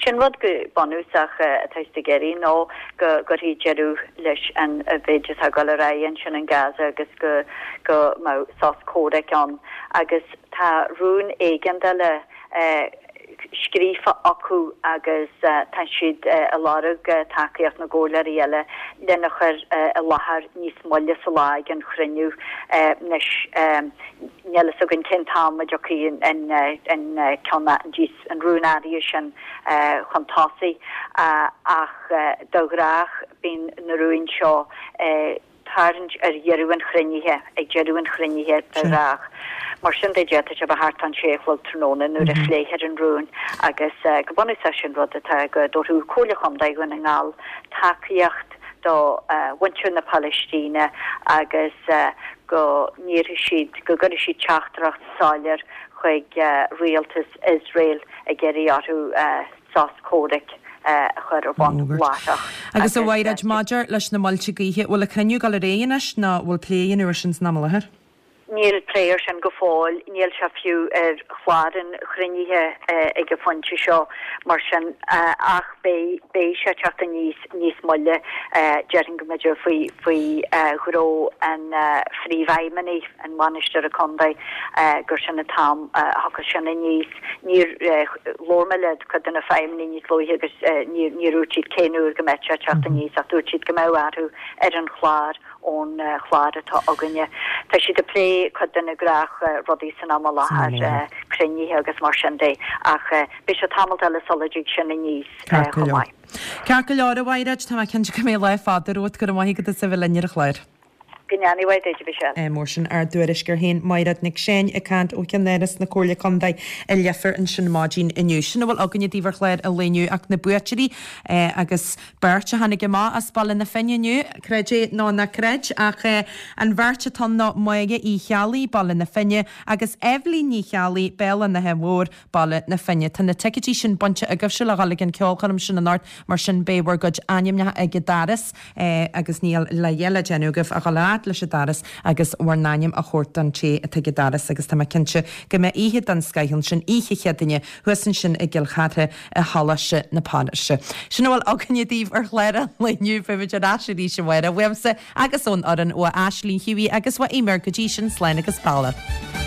S3: sin rud go bunúsach atá siad ag iarraidh ná go gcuirfí deireadh leis an mhéid atá ag dul ar aghaidh ansin in Gaza agus go go mbeadh sos comhraic ann. Agus tá rún éigeandála scríofa acu agus tá siad ag lorg tacaíocht na gcomhairleoirí eile lena chur i láthair níos moille sa lá ag an chruinniú. Anois níl fhios againn cén t-am a dtiocfaidh an ceann, an rún áirithe sin chun tosaigh ach de ghnách bíonn na rúin seo tarraingt ar dheireadh an chruinnithe, ag deireadh an chruinnithe de ghnách. Mar sin de, d'fhéadfadh sé a bheith thart fán sé a chlog tráthnóna nuair a phléifear an rún agus go bunúsach sin rud atá go dtabharfadh Comhairle Chontae Dhún na nGall tacaíocht do mhuintir na Palaistíne agus go n-iarrfaidh siad, go gcuirfidh siad teachtaireacht soiléir chuig rialtas Iosrael ag iarraidh orthu sos comhraic a chur ar bun láithreach.
S1: Agus a Mhaighread, maidir leis na muilte gaoithe, bhfuil an cruinniú ag dul ar aghaidh anois nó bhfuil plé a dhéanamh ar sin san am i láthair?
S3: Níl plé ar sin go fóill, níl sé fiú ar chlár an chruinnithe ag an phointe seo mar sin ach beidh, beidh sé ag teacht aníos níos moille, déarfainn go mb'fhéidir faoi, faoi ghnó an Phríomhfheidhmeannaigh, an Bhainisteora Contae, gur sin an t-am a thiocfas sin aníos. Níor labhair mé le cuid de na feidhmeannaigh níos luaithe agus níor dhúirt siad cén uair go mbeadh sé ag teacht aníos ach dúirt siad go mbeadh athrú ar an chlár ón chlár atá againne. Tá siad ag plé cuid de na gnách rudaí san am i láthair, cruinnithe agus mar sin de ach beidh sé tamalt eile sula dtig sin aníos chomh maith.
S1: Ceart go leor, a Mhaighread, tá mé cinnte go mbeidh lá fada romhat. Go raibh maith agat as a bheith linn ar an chlár.
S3: Go ndéana a mhaith duit, a Mhichelle.
S1: Mar sin ár dtuairisceoir féin, Maighread Nic Seáin, ag caint ó cheannáras na Comhairle Contae i Leifear ansin maidin inniu. Sin a bhfuil againne daoibh ar chlár an lae inniu ach na buaiteoirí agus beirt a tháinig amach as Baile na Finne inniu, creid é nó ná creid, ach an bheirt atá ann ná Máire Uí Cheallaigh, Baile na Finne, agus Eibhlín Ní Cheallaigh, Béal an Átha Mhóir, Baile na Finne. Tá na ticéidí sin bainte agaibhse le dhul ag an ceolchoirm sin anocht, mar sin beidh bhur gcuid ainmneacha ag an doras agus níl a dhath le déanamh agaibh ach dhul a fhad leis an doras agus bhur n-ainm a thabhairt don té atá ag an doras agus tá mé cinnte go mbeidh oíche den scoith ansin, oíche Chéadaoine, thuas ansin i gCill Chartha i Choláiste na Paráiste. Sin a bhfuil againne daoibh ar chlár an lae inniu. Beimid ar ais arís amárach uaimse agus ón fhoireann, ó Aisling Hughie agus ó Eimear go dtí sin, slán agus beannacht.